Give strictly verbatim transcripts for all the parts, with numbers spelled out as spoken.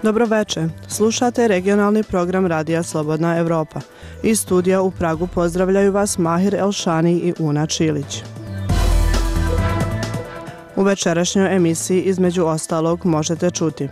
Dobro večer, slušate regionalni program Radija Slobodna Evropa. Iz studija u Pragu pozdravljaju vas Mahir Elšani i Una Čilić. U večerašnjoj emisiji između ostalog možete čuti: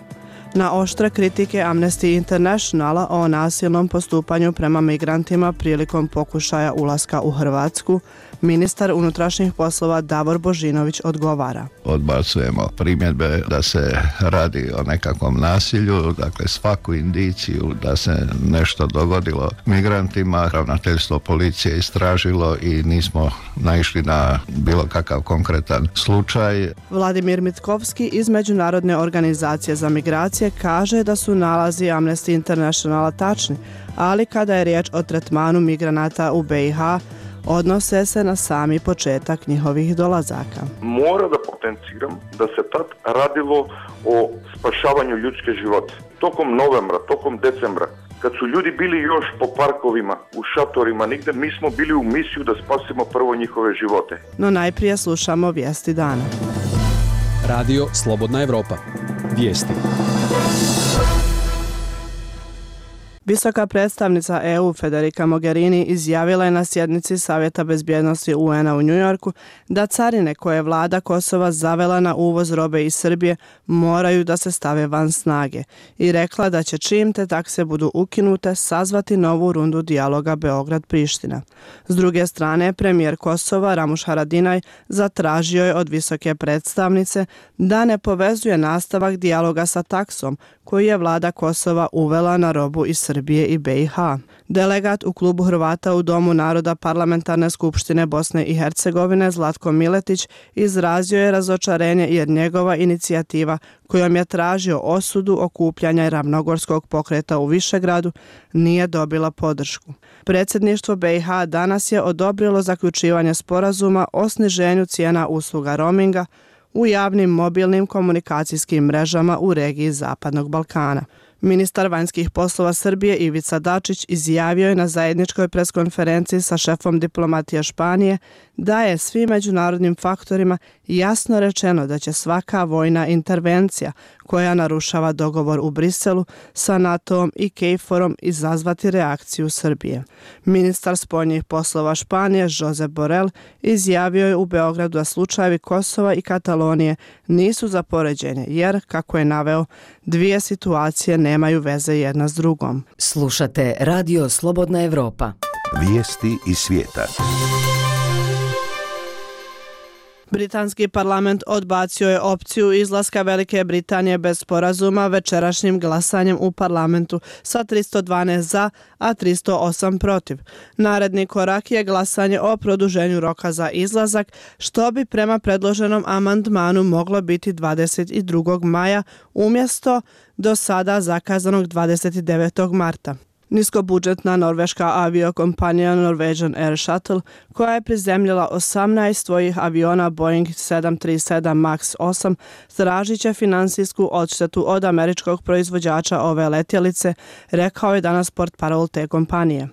na oštre kritike Amnesty Internationala o nasilnom postupanju prema migrantima prilikom pokušaja ulaska u Hrvatsku, ministar unutrašnjih poslova Davor Božinović odgovara. Odbacujemo primjedbe da se radi o nekakvom nasilju, dakle svaku indiciju da se nešto dogodilo migrantima, ravnateljstvo policije istražilo i nismo naišli na bilo kakav konkretan slučaj. Vladimir Mitkovski iz Međunarodne organizacije za migracije kaže da su nalazi Amnesty Internationala tačni, ali kada je riječ o tretmanu migranata u be i ha, odnose se na sami početak njihovih dolazaka. Mora da potenciram da se tad radilo o spašavanju ljudske života. Tokom novembra, tokom decembra, kad su ljudi bili još po parkovima, u šatorima, nigde, mi smo bili u misiju da spasimo prvo njihove živote. No najprije slušamo vijesti dana. Radio Slobodna Evropa. Vijesti. Visoka predstavnica E U Federica Mogherini izjavila je na sjednici Savjeta bezbjednosti U En a u Njujorku da carine koje je vlada Kosova zavela na uvoz robe iz Srbije moraju da se stave van snage i rekla da će čim te takse budu ukinute sazvati novu rundu dijaloga Beograd-Priština. S druge strane, premijer Kosova Ramuš Haradinaj zatražio je od visoke predstavnice da ne povezuje nastavak dijaloga sa taksom koju je vlada Kosova uvela na robu iz Srbije i be i ha. Delegat u klubu Hrvata u Domu naroda Parlamentarne skupštine Bosne i Hercegovine Zlatko Miletić izrazio je razočarenje jer njegova inicijativa kojom je tražio osudu okupljanja Ravnogorskog pokreta u Višegradu nije dobila podršku. Predsjedništvo be i ha danas je odobrilo zaključivanje sporazuma o sniženju cijena usluga roaminga u javnim mobilnim komunikacijskim mrežama u regiji Zapadnog Balkana. Ministar vanjskih poslova Srbije Ivica Dačić izjavio je na zajedničkoj preskonferenciji sa šefom diplomatije Španije da je svim međunarodnim faktorima jasno rečeno da će svaka vojna intervencija koja narušava dogovor u Briselu sa NATO-om i KFOR-om izazvati reakciju Srbije. Ministar spoljnih poslova Španije Josep Borrell izjavio je u Beogradu da slučajevi Kosova i Katalonije nisu za poređenje jer, kako je naveo, dvije situacije nemaju veze jedna s drugom. Slušate Radio Slobodna Evropa. Vijesti iz svijeta. Britanski parlament odbacio je opciju izlaska Velike Britanije bez sporazuma večerašnjim glasanjem u parlamentu sa tristo dvanaest za, a tristo osam protiv. Naredni korak je glasanje o produženju roka za izlazak, što bi prema predloženom amandmanu moglo biti dvadeset drugog maja umjesto do sada zakazanog dvadeset devetog marta. Niskobudžetna norveška aviokompanija Norwegian Air Shuttle, koja je prizemljila osamnaest svojih aviona Boeing sedam trideset sedam Max osam, tražit će finansijsku odštetu od američkog proizvođača ove letjelice, rekao je danas portparol te kompanije.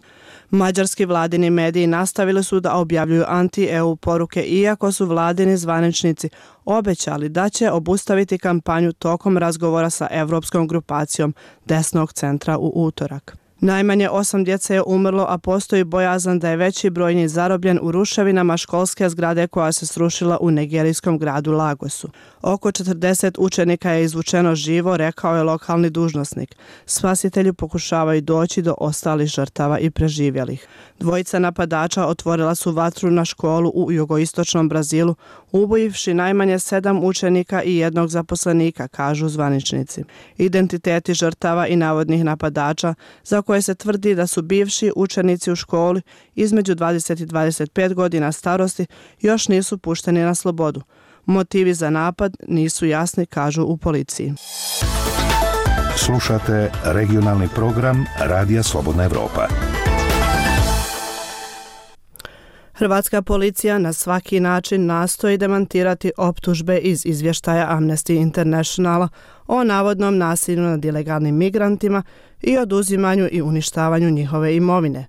Mađarski vladini mediji nastavili su da objavljuju anti-E U poruke iako su vladini zvaničnici obećali da će obustaviti kampanju tokom razgovora sa Evropskom grupacijom desnog centra u utorak. Najmanje osam djece je umrlo, a postoji bojazan da je veći broj njih zarobljen u ruševinama školske zgrade koja se srušila u nigerijskom gradu Lagosu. Oko četrdeset učenika je izvučeno živo, rekao je lokalni dužnosnik. Spasitelji pokušavaju doći do ostalih žrtava i preživjelih. Dvojica napadača otvorila su vatru na školu u jugoistočnom Brazilu, ubojivši najmanje sedam učenika i jednog zaposlenika, kažu zvaničnici. Identiteti žrtava i navodnih napadača, za koje se tvrdi da su bivši učenici u školi između dvadeset i dvadeset pet godina starosti, još nisu pušteni na slobodu. Motivi za napad nisu jasni, kažu u policiji. Slušate regionalni program Radija Slobodna Evropa. Hrvatska policija na svaki način nastoji demantirati optužbe iz izvještaja Amnesty Internationala o navodnom nasilju nad ilegalnim migrantima i oduzimanju i uništavanju njihove imovine.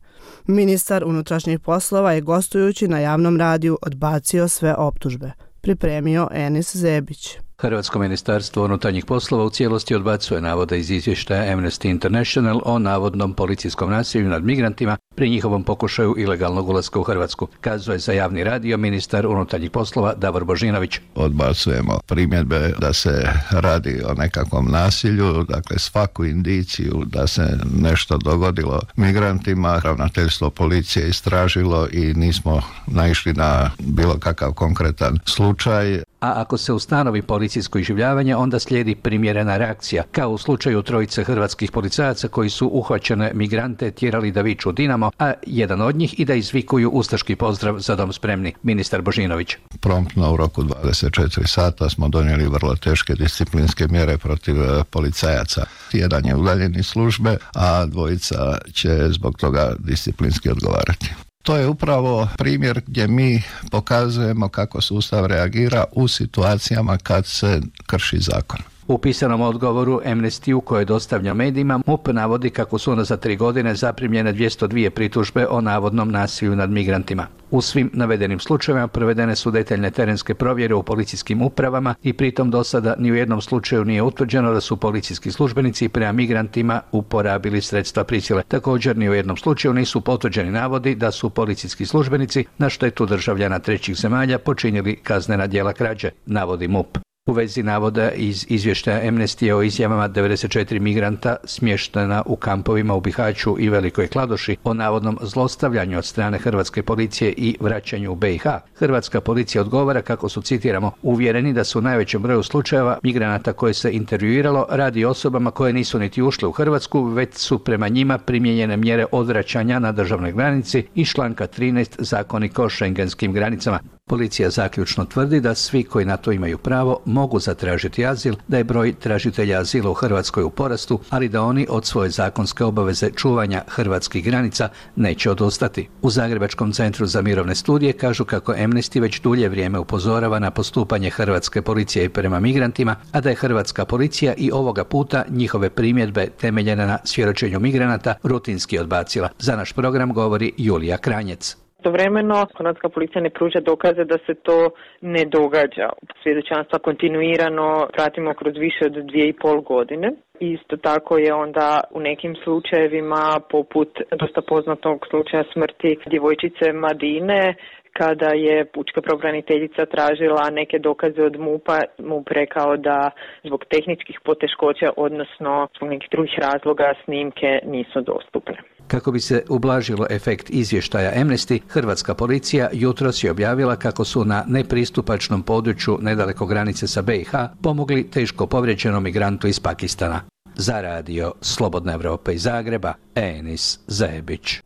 Ministar unutrašnjih poslova je gostujući na javnom radiju odbacio sve optužbe. Pripremio Enis Zebić. Hrvatsko ministarstvo unutarnjih poslova u cijelosti odbacuje navode iz izvještaja Amnesty International o navodnom policijskom nasilju nad migrantima pri njihovom pokušaju ilegalnog ulaska u Hrvatsku, kazuje za javni radio ministar unutarnjih poslova Davor Božinović. Odbacujemo primjedbe da se radi o nekakvom nasilju, dakle svaku indiciju da se nešto dogodilo migrantima, ravnateljstvo policije istražilo i nismo naišli na bilo kakav konkretan slučaj. A ako se ustanovi policijsko iživljavanje, onda slijedi primjerena reakcija, kao u slučaju trojice hrvatskih policajaca koji su uhvaćene migrante tjerali da viču Dinamo, a jedan od njih i da izvikuju ustaški pozdrav za dom spremni, ministar Božinović. Promptno u roku dvadeset četiri sata smo donijeli vrlo teške disciplinske mjere protiv policajaca. Jedan je udaljen iz službe, a dvojica će zbog toga disciplinski odgovarati. To je upravo primjer gdje mi pokazujemo kako sustav reagira u situacijama kad se krši zakon. U pisanom odgovoru Amnesty-u koje dostavlja medijima, M U P navodi kako su ono za tri godine zaprimljene dvjesto dvije pritužbe o navodnom nasilju nad migrantima. U svim navedenim slučajevima provedene su detaljne terenske provjere u policijskim upravama i pritom do sada ni u jednom slučaju nije utvrđeno da su policijski službenici prema migrantima uporabili sredstva prisile. Također ni u jednom slučaju nisu potvrđeni navodi da su policijski službenici na štetu državljana trećih zemalja počinili kaznena djela krađe, navodi M U P. U vezi navoda iz izvještaja Amnesty o izjavama devedeset četiri migranta smještena u kampovima u Bihaću i Velikoj Kladuši o navodnom zlostavljanju od strane hrvatske policije i vraćanju u B i H, hrvatska policija odgovara kako su, citiramo, uvjereni da su u najvećem broju slučajeva migranata koje se intervjuiralo radi osobama koje nisu niti ušle u Hrvatsku, već su prema njima primijenjene mjere odvraćanja na državnoj granici iz članka trinaest Zakonika o šengenskim granicama. Policija zaključno tvrdi da svi koji na to imaju pravo mogu zatražiti azil, da je broj tražitelja azila u Hrvatskoj u porastu, ali da oni od svoje zakonske obaveze čuvanja hrvatskih granica neće odustati. U Zagrebačkom centru za mirovne studije kažu kako Amnesty već dulje vrijeme upozorava na postupanje hrvatske policije prema migrantima, a da je hrvatska policija i ovoga puta njihove primjedbe temeljene na svjedočenju migranata rutinski odbacila. Za naš program govori Julija Kranjec. Istovremeno, hrvatska policija ne pruža dokaze da se to ne događa. Svjedočanstva kontinuirano pratimo kroz više od dvije i pol godine. Isto tako je onda u nekim slučajevima, poput dosta poznatog slučaja smrti djevojčice Madine, kada je pučka pravobraniteljica tražila neke dokaze od M U P-a, M U P rekao da zbog tehničkih poteškoća, odnosno zbog nekih drugih razloga, snimke nisu dostupne. Kako bi se ublažilo efekt izvještaja Amnesty, hrvatska policija jutros je objavila kako su na nepristupačnom području nedaleko granice sa B i H pomogli teško povrijeđenom migrantu iz Pakistana. Za radio Slobodna Evropa iz Zagreba, Enis Zebić.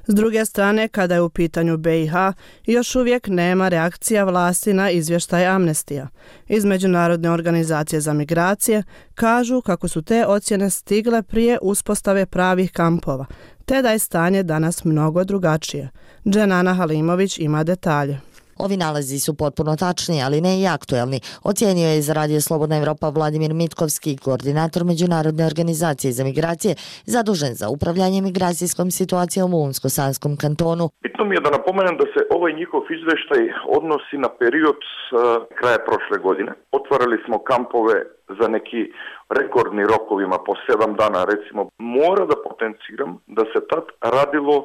S druge strane, kada je u pitanju B i H, još uvijek nema reakcija vlasti na izvještaj Amnestija. Iz Međunarodne organizacije za migracije kažu kako su te ocjene stigle prije uspostave pravih kampova, te da je stanje danas mnogo drugačije. Dženana Halimović ima detalje. Ovi nalazi su potpuno tačni, ali ne i aktuelni, ocijenio je za radio Slobodna Evropa Vladimir Mitkovski, koordinator Međunarodne organizacije za migracije, zadužen za upravljanje migracijskom situacijom u Unsko-Sanskom kantonu. Bitno mi je da napomenem da se ovaj njihov izvještaj odnosi na period uh, kraja prošle godine. Otvarali smo kampove za neki rekordni rokovima po sedam dana, recimo. Mora da potenciram da se tad radilo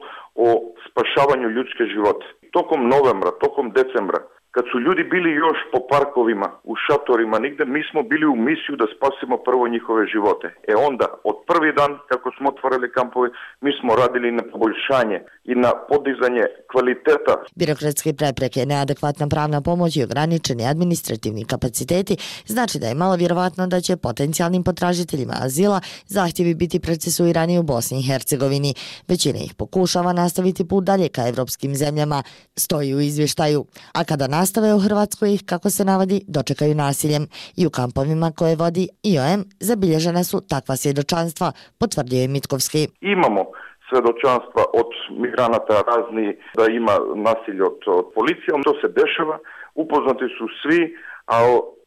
o spašavanju ljudske živote. Tokom novembra, tokom decembra, kad su ljudi bili još po parkovima, u šatorima, nigde, mi smo bili u misiju da spasimo prvo njihove živote. E onda, od prvi dan kako smo otvorili kampove, mi smo radili na poboljšanje i na podizanje kvaliteta. Birokratske prepreke, neadekvatna pravna pomoć i ograničeni administrativni kapaciteti znači da je malo vjerovatno da će potencijalnim potražiteljima azila zahtjevi biti procesuirani u Bosni i Hercegovini. Većina ih pokušava nastaviti put dalje ka evropskim zemljama, stoji u izvještaju, a kada nastave u Hrvatskoj ih, kako se navodi, dočekaju nasiljem. I u kampovima koje vodi I O M zabilježena su takva svjedočanstva, potvrdio je Mitkovski. Imamo svjedočanstva od migranata razni da ima nasilje od, od policije, to se dešava, upoznati su svi, a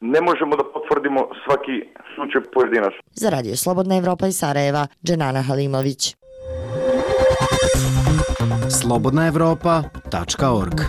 ne možemo da potvrdimo svaki slučaj pojedinačno. Za radio Slobodna Evropa iz Sarajeva, Dženana Halimović. slobodna evropa tačka org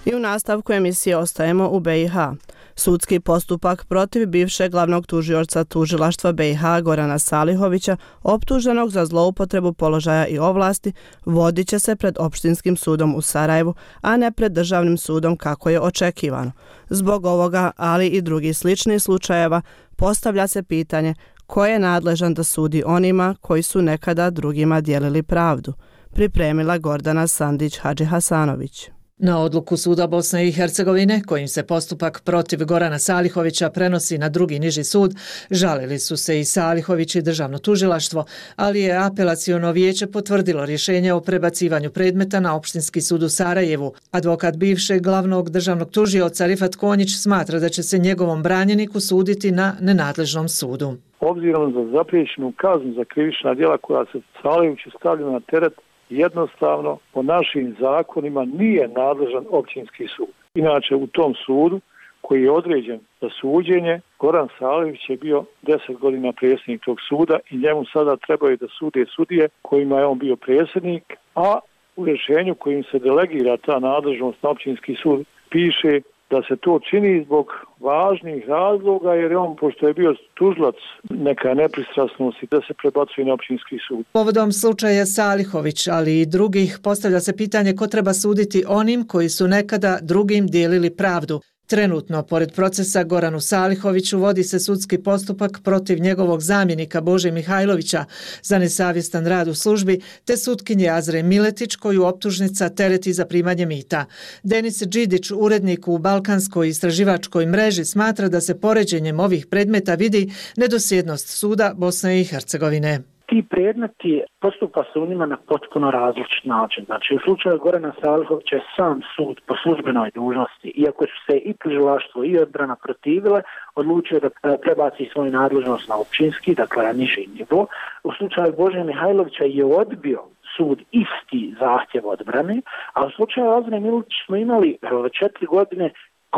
I u nastavku emisije ostajemo u B i H. Sudski postupak protiv bivšeg glavnog tužioca tužilaštva B i H Gorana Salihovića, optuženog za zloupotrebu položaja i ovlasti, vodit će se pred Opštinskim sudom u Sarajevu, a ne pred Državnim sudom kako je očekivano. Zbog ovoga, ali i drugih sličnih slučajeva, postavlja se pitanje ko je nadležan da sudi onima koji su nekada drugima dijelili pravdu. Pripremila Gordana Sandić Hadžihasanović. Na odluku Suda Bosne i Hercegovine, kojim se postupak protiv Gorana Salihovića prenosi na drugi niži sud, žalili su se i Salihović i Državno tužilaštvo, ali je apelaciono vijeće potvrdilo rješenje o prebacivanju predmeta na Opštinski sud u Sarajevu. Advokat bivšeg glavnog državnog tužioca Rifat Konjić smatra da će se njegovom branjeniku suditi na nenadležnom sudu. Obzirom za zapriječenu kaznu za krivična djela koja se Salihoviću stavlja na teret, jednostavno po našim zakonima nije nadležan općinski sud. Inače u tom sudu koji je određen za suđenje, Goran Salihović je bio deset godina predsjednik tog suda i njemu sada trebaju da sude sudije kojima je on bio predsjednik, a u rješenju kojim se delegira ta nadležnost na općinski sud piše da se to čini zbog važnih razloga, jer je on, pošto je bio tužilac, neka nepristrasnost i da se prebacuje na općinski sud. Povodom slučaja Salihović, ali i drugih, postavlja se pitanje ko treba suditi onim koji su nekada drugim dijelili pravdu. Trenutno, pored procesa Goranu Salihoviću, vodi se sudski postupak protiv njegovog zamjenika Bože Mihajlovića za nesavjestan rad u službi, te sutkinje Azre Miletić, koju optužnica tereti za primanje mita. Denis Đidić, urednik u Balkanskoj istraživačkoj mreži, smatra da se poređenjem ovih predmeta vidi nedosljednost suda Bosne i Hercegovine. Ti predmeti postupa se u njima na potpuno različit način. Znači, u slučaju Gorana Salihovića je sam sud po službenoj dužnosti, iako su se i tužilaštvo i odbrana protivile, odlučio da prebaci svoju nadležnost na općinski, dakle na niži nivo. U slučaju Bože Mihajlovića je odbio sud isti zahtjev odbrane, a u slučaju Azre Miletić smo imali četiri godine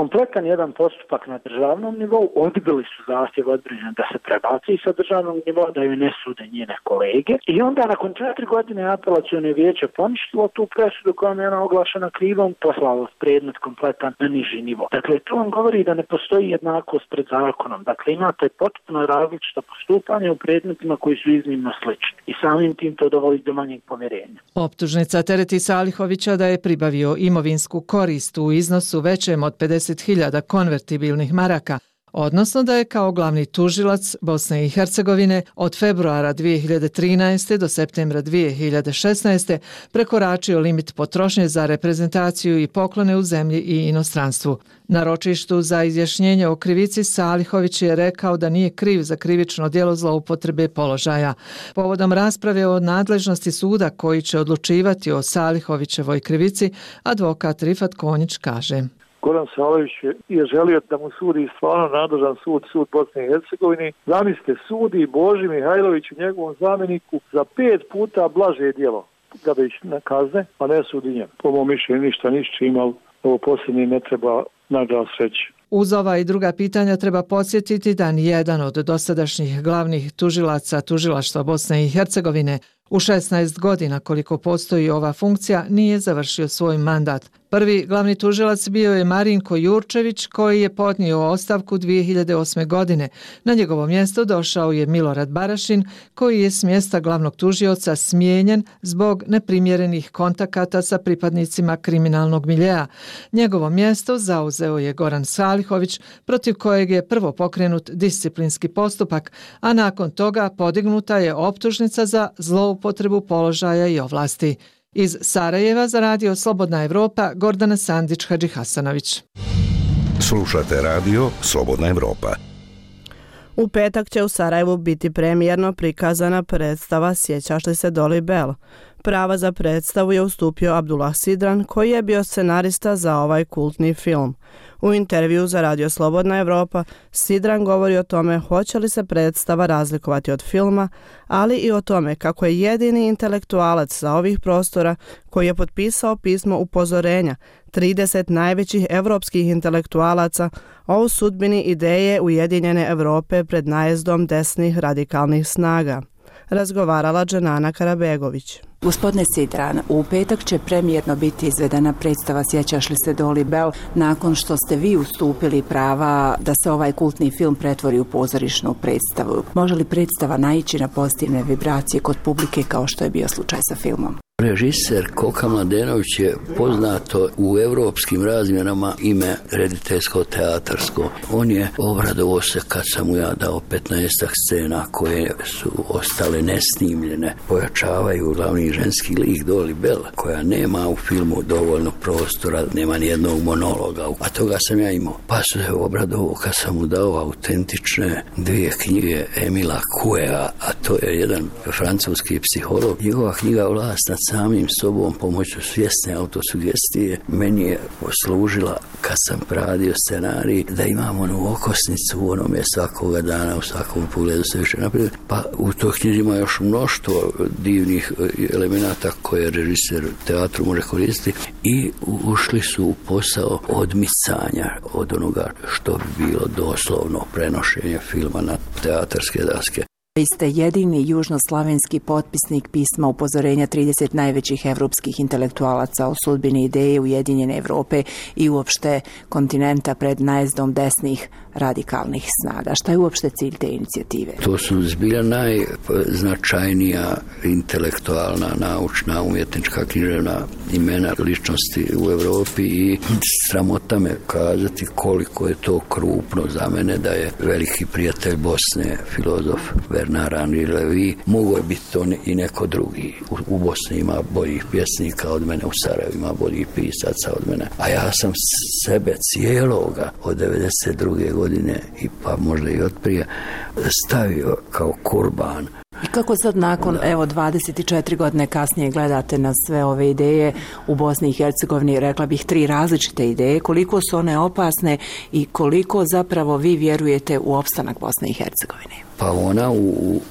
kompletan jedan postupak na državnom nivou, odbili su zahtjev odbrane da se prebaci sa državnog nivoa, da ju ne sude njene kolege. I onda nakon četiri godine apelacione vijeće poništilo tu presudu kojom je ona oglašena krivom, poslalo predmet kompletan na niži nivo. Dakle, to vam govori da ne postoji jednakost pred zakonom. Dakle, imate potpuno različito postupanje u predmetima koji su iznimno slični. I samim tim to dovodi do manjeg povjerenja. Optužnica tereti Salihovića da je pribavio imovinsku korist u iznosu većem od pedeset hiljada konvertibilnih maraka, odnosno da je kao glavni tužilac Bosne i Hercegovine od februara dvije hiljade trinaeste. do septembra dvije hiljade šesnaeste. prekoračio limit potrošnje za reprezentaciju i poklone u zemlji i inostranstvu. Na ročištu za izjašnjenje o krivici Salihović je rekao da nije kriv za krivično djelo zloupotrebe položaja. Povodom rasprave o nadležnosti suda koji će odlučivati o Salihovićevoj krivici, advokat Rifat Konjić kaže: Goran Salihović je želio da mu sudi stvarno nadležan sud, sud Bosne i Hercegovine. Zamislite, sudi Boži Mihajloviću, njegovom zamjeniku, za pet puta blaže djelo da bi ih na kazne, a ne sudi njemu. Po mom mišljenju ništa ništa imao, ovo posljednje ne treba naglas reći. Uz ova i druga pitanja treba podsjetiti da nijedan od dosadašnjih glavnih tužilaca tužilaštva Bosne i Hercegovine u šesnaest godina koliko postoji ova funkcija nije završio svoj mandat. Prvi glavni tužilac bio je Marinko Jurčević koji je podnio ostavku dvije hiljade osme. godine. Na njegovo mjesto došao je Milorad Barašin koji je s mjesta glavnog tužioca smijenjen zbog neprimjerenih kontakata sa pripadnicima kriminalnog miljea. Njegovo mjesto zauzeo je Goran Salihović protiv kojeg je prvo pokrenut disciplinski postupak, a nakon toga podignuta je optužnica za zloupotrebu položaja i ovlasti. Iz Sarajeva za radio Slobodna Evropa, Gordana Sandić Hadžihasanović. Slušate radio Slobodna Evropa. U petak će u Sarajevu biti premijerno prikazana predstava Sjećaš li se Doli Bell? Prava za predstavu je ustupio Abdullah Sidran, koji je bio scenarista za ovaj kultni film. U intervju za radio Slobodna Evropa Sidran govori o tome hoće li se predstava razlikovati od filma, ali i o tome kako je jedini intelektualac sa ovih prostora koji je potpisao pismo upozorenja trideset najvećih evropskih intelektualaca o sudbini ideje Ujedinjene Europe pred najezdom desnih radikalnih snaga. razgovarala Dženana Karabegović. Gospodine Sidran, u petak će premijerno biti izvedena predstava Sjećaš li se Dolly Bell, nakon što ste vi ustupili prava da se ovaj kultni film pretvori u pozorišnu predstavu. Može li predstava naići na pozitivne vibracije kod publike kao što je bio slučaj sa filmom? Režiser Koka Mladenović je poznato u europskim razmjerama ime rediteljsko-teatarsko. On je obradovao se kad sam mu ja dao petnaestak scena koje su ostale nesnimljene. Pojačavaju glavni ženski lik Dolly Bell, koja nema u filmu dovoljno prostora, nema nijednog monologa, a toga sam ja imao. Pa se obradovao kad sam mu dao autentične dvije knjige Emila Couéa, a to je jedan francuski psiholog. Njegova knjiga Vlast nad samim sobom pomoću svjesne autosugestije meni je poslužila kad sam radio scenarij da imam onu okosnicu u onome svakoga dana, u svakom pogledu se više naprijed. Pa u toj knjizi ima još mnoštvo divnih elemenata koje režiser teatru može koristiti i ušli su u posao odmicanja od onoga što bi bilo doslovno prenošenje filma na teatarske daske. Vi ste jedini južnoslavenski potpisnik pisma upozorenja trideset najvećih evropskih intelektualaca o sudbini ideje Ujedinjene Evrope i uopšte kontinenta pred najezdom desnih radikalnih snaga. Šta je uopšte cilj te inicijative? To su zbilja najznačajnija intelektualna, naučna, umjetnička, književna imena ličnosti u Evropi i sramota me kazati koliko je to krupno za mene da je veliki prijatelj Bosne, filozof Bernard Henri Lévy, mogo je biti to i neko drugi. U, u Bosni ima boljih pjesnika od mene, u Sarajevu ima boljih pisaca od mene. A ja sam sebe cijeloga od devedeset druge godine i pa možda i od prije stavio kao kurban. I kako sad nakon, da. evo, dvadeset četiri godine kasnije gledate na sve ove ideje u Bosni i Hercegovini, rekla bih tri različite ideje, koliko su one opasne i koliko zapravo vi vjerujete u opstanak Bosne i Hercegovine? Pa ona u,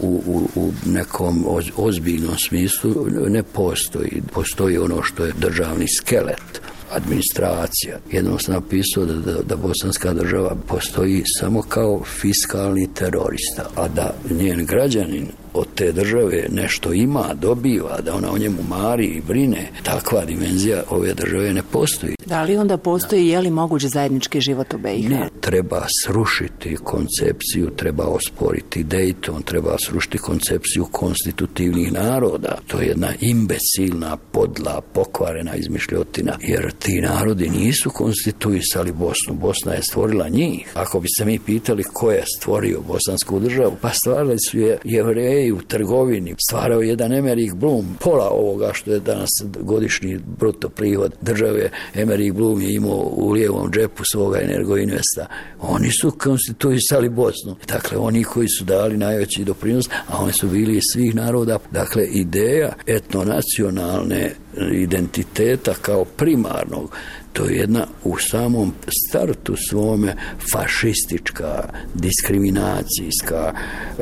u, u, u nekom ozbiljnom smislu ne postoji. Postoji ono što je državni skelet, administracija. Jednom sam napisao da, da, da bosanska država postoji samo kao fiskalni terorista, a da njen građanin od te države nešto ima, dobiva, da ona o njemu mari i brine. Takva dimenzija ove države ne postoji. Da li onda postoji, je li moguć zajednički život u B i H? Ne, treba srušiti koncepciju, treba osporiti Dayton, treba srušiti koncepciju konstitutivnih naroda. To je jedna imbecilna, podla, pokvarena izmišljotina, jer ti narodi nisu konstituisali Bosnu. Bosna je stvorila njih. Ako bi se mi pitali ko je stvorio bosansku državu, pa stvarali su je Jevreji u trgovini, stvarao jedan Emerik Blum, pola ovoga što je danas godišnji bruto prihod države. Emerik Blum je imao u lijevom džepu svoga Energoinvesta. Oni su konstituisali Bosnu. Dakle, oni koji su dali najveći doprinos, a oni su bili iz svih naroda. Dakle, ideja etnonacionalne identiteta kao primarnog, to je jedna u samom startu svome fašistička, diskriminacijska,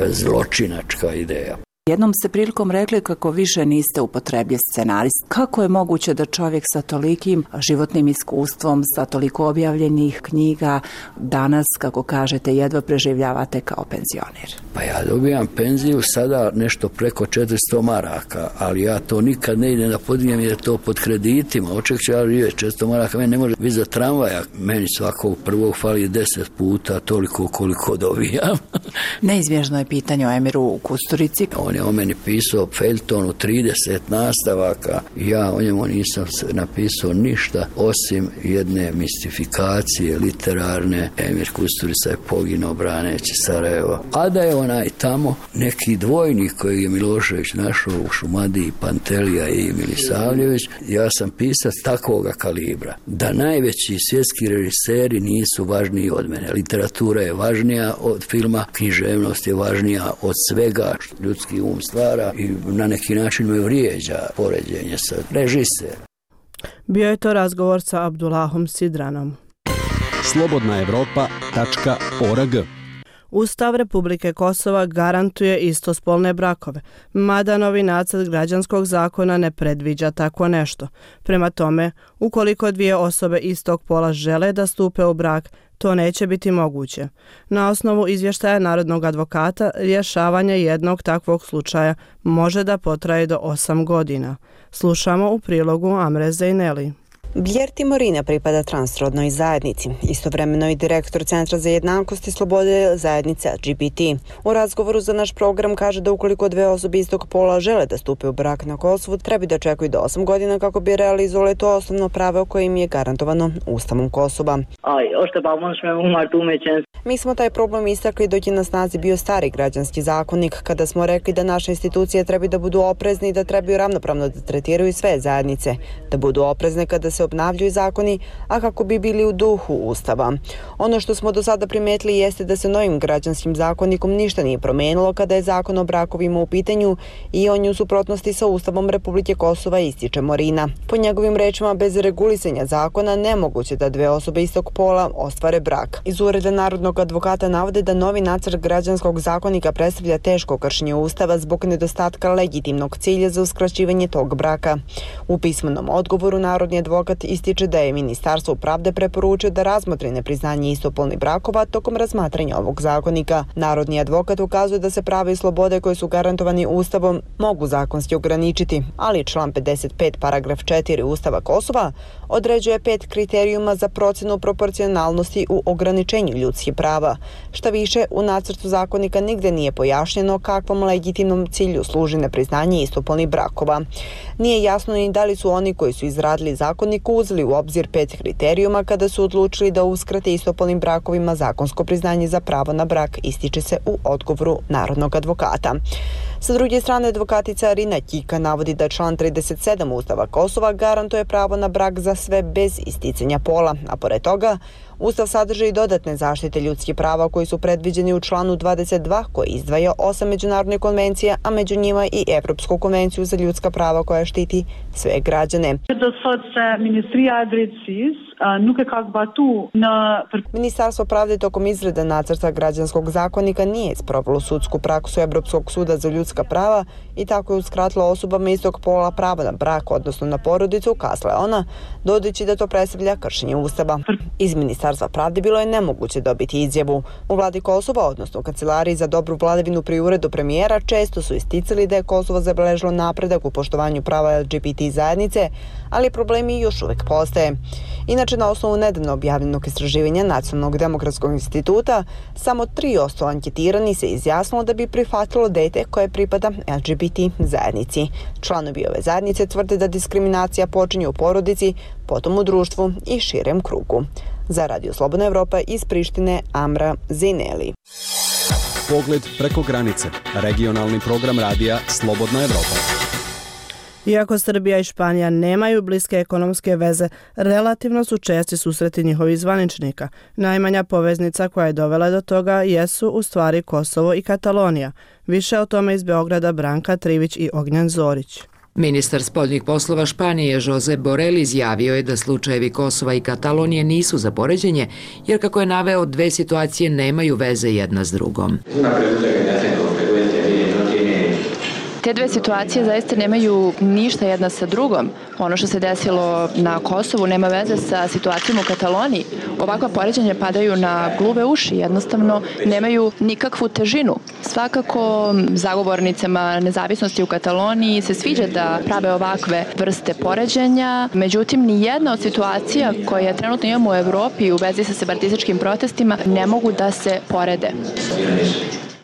zločinačka ideja. Jednom ste prilikom rekli kako više niste upotrebljiv scenarist. Kako je moguće da čovjek sa tolikim životnim iskustvom, sa toliko objavljenih knjiga, danas, kako kažete, jedva preživljavate kao penzioner? Pa ja dobijam penziju sada nešto preko četiristo maraka, ali ja to nikad ne idem da podijem jer je to pod kreditima. Oček ću ja živjeti četiristo maraka, meni ne može biti za tramvaja. Meni svakog prvog fali deset puta toliko koliko dobijam. Neizbježno je pitanje o Emiru Kusturici. On je o meni pisao feljton u trideset nastavaka. Ja o njemu nisam napisao ništa osim jedne mistifikacije literarne. Emir Kusturica je poginuo braneći Sarajevo. A da je onaj tamo neki dvojnik koji je Milošević našao u Šumadiji, Pantelija i Milisavljević, ja sam pisac takvoga kalibra. Da najveći svjetski režiseri nisu važniji od mene. Literatura je važnija od filma, književnost je važnija od svega što ljudski um stvara i na neki način me vrijeđa poređenje sa režiser. Bio je to razgovor sa Abdullahom Sidranom. slobodna evropa tačka org Ustav Republike Kosova garantuje istospolne brakove, mada novi nacrt građanskog zakona ne predviđa tako nešto. Prema tome, ukoliko dvije osobe istog pola žele da stupe u brak, to neće biti moguće. Na osnovu izvještaja narodnog advokata, rješavanje jednog takvog slučaja može da potraje do osam godina. Slušamo u prilogu Amre Zejneli. Bjerti Morina pripada transrodnoj zajednici, istovremeno i direktor Centra za jednakost i slobode zajednice L G B T. U razgovoru za naš program kaže da ukoliko dve osobe istog pola žele da stupe u brak na Kosovu, treba da čekaju do osam godina kako bi realizovali to osnovno pravo koje im je garantovano Ustavom Kosova. Mi smo taj problem istakli dok je na snazi bio stari građanski zakonik, kada smo rekli da naše institucije treba da budu oprezni i da trebaju ravnopravno da tretiraju sve zajednice, da budu oprezne kada se obnavljaju zakoni, a kako bi bili u duhu Ustava. Ono što smo do sada primetili jeste da se novim građanskim zakonikom ništa nije promenilo kada je zakon o brakovima u pitanju i on je u suprotnosti sa Ustavom Republike Kosova, ističe Morina. Po njegovim rečima, bez regulisanja zakona nemoguće da dve osobe istog pola ostvare brak. Iz Ureda narodnog advokata navode da novi nacrt građanskog zakonika predstavlja teško kršenje Ustava zbog nedostatka legitimnog cilja za uskraćivanje tog braka. U pismenom odgovoru narodni advokat ističe da je Ministarstvo pravde preporučio da razmotri nepriznanje istopolnih brakova tokom razmatranja ovog zakonika. Narodni advokat ukazuje da se prava i slobode koje su garantovani Ustavom mogu zakonski ograničiti, ali član pedeset pet paragraf četiri Ustava Kosova određuje pet kriterijuma za procenu proporcionalnosti u ograničenju ljudskih prava. Šta više, u nacrtu zakonika nigde nije pojašnjeno kakvom legitimnom cilju služi nepriznanje istopolnih brakova. Nije jasno ni da li su oni koji su izradili zakonik uzeli u obzir pet kriterijuma kada su odlučili da uskrate istopolnim brakovima zakonsko priznanje za pravo na brak, ističe se u odgovoru narodnog advokata. Sa druge strane, advokatica Rina Kika navodi da član trideset sedam Ustava Kosova garantuje pravo na brak za sve bez isticanja pola, a pored toga Ustav sadrži i dodatne zaštite ljudskih prava koji su predviđeni u članu dvadeset dva koji izdvaja osam međunarodnih konvencija, a među njima i Evropsku konvenciju za ljudska prava koja štiti sve građane. Ministarstvo pravde tokom izrade nacrta građanskog zakonika nije sprovelo sudsku praksu Evropskog suda za ljudska prava i tako je uskratilo osobama istog pola pravo na brak, odnosno na porodicu, kazala je ona, dodajući da to predstavlja kršenje Ustava. Iz Ministarstva pravde bilo je nemoguće dobiti izjavu. U vladi Kosova, odnosno u Kancelariji za dobru vladavinu pri uredu premijera, često su isticali da je Kosovo zabeležilo napredak u poštovanju prava L G B T zajednice, ali problemi još uvek postoje. Inače, na osnovu nedavno objavljenog istraživanja Nacionalnog demokratskog instituta, samo tri posto anketirani se izjasnilo da bi prihvatilo dete koje pripada L G B T zajednici. Članovi ove zajednice tvrde da diskriminacija počinje u porodici, potom u društvu i širem krugu. Za Radio Slobodna Evropa iz Prištine, Amra Zejneli. Pogled preko granice. Regionalni program radija Slobodna Evropa. Iako Srbija i Španija nemaju bliske ekonomske veze, relativno su česti susreti njihovih zvaničnika. Najmanja poveznica koja je dovela do toga jesu u stvari Kosovo i Katalonija. Više o tome iz Beograda Branka Trivić i Ognjan Zorić. Ministar spoljnih poslova Španije Josep Borrell izjavio je da slučajevi Kosova i Katalonije nisu za poređenje, jer kako je naveo, dve situacije nemaju veze jedna s drugom. Te dve situacije zaista nemaju ništa jedna sa drugom. Ono što se desilo na Kosovu nema veze sa situacijom u Kataloniji. Ovakva poređenja padaju na gluve uši, jednostavno nemaju nikakvu težinu. Svakako zagovornicama nezavisnosti u Kataloniji se sviđa da prave ovakve vrste poređenja, međutim ni jedna od situacija koje trenutno imamo u Evropi u vezi sa separatističkim protestima ne mogu da se porede.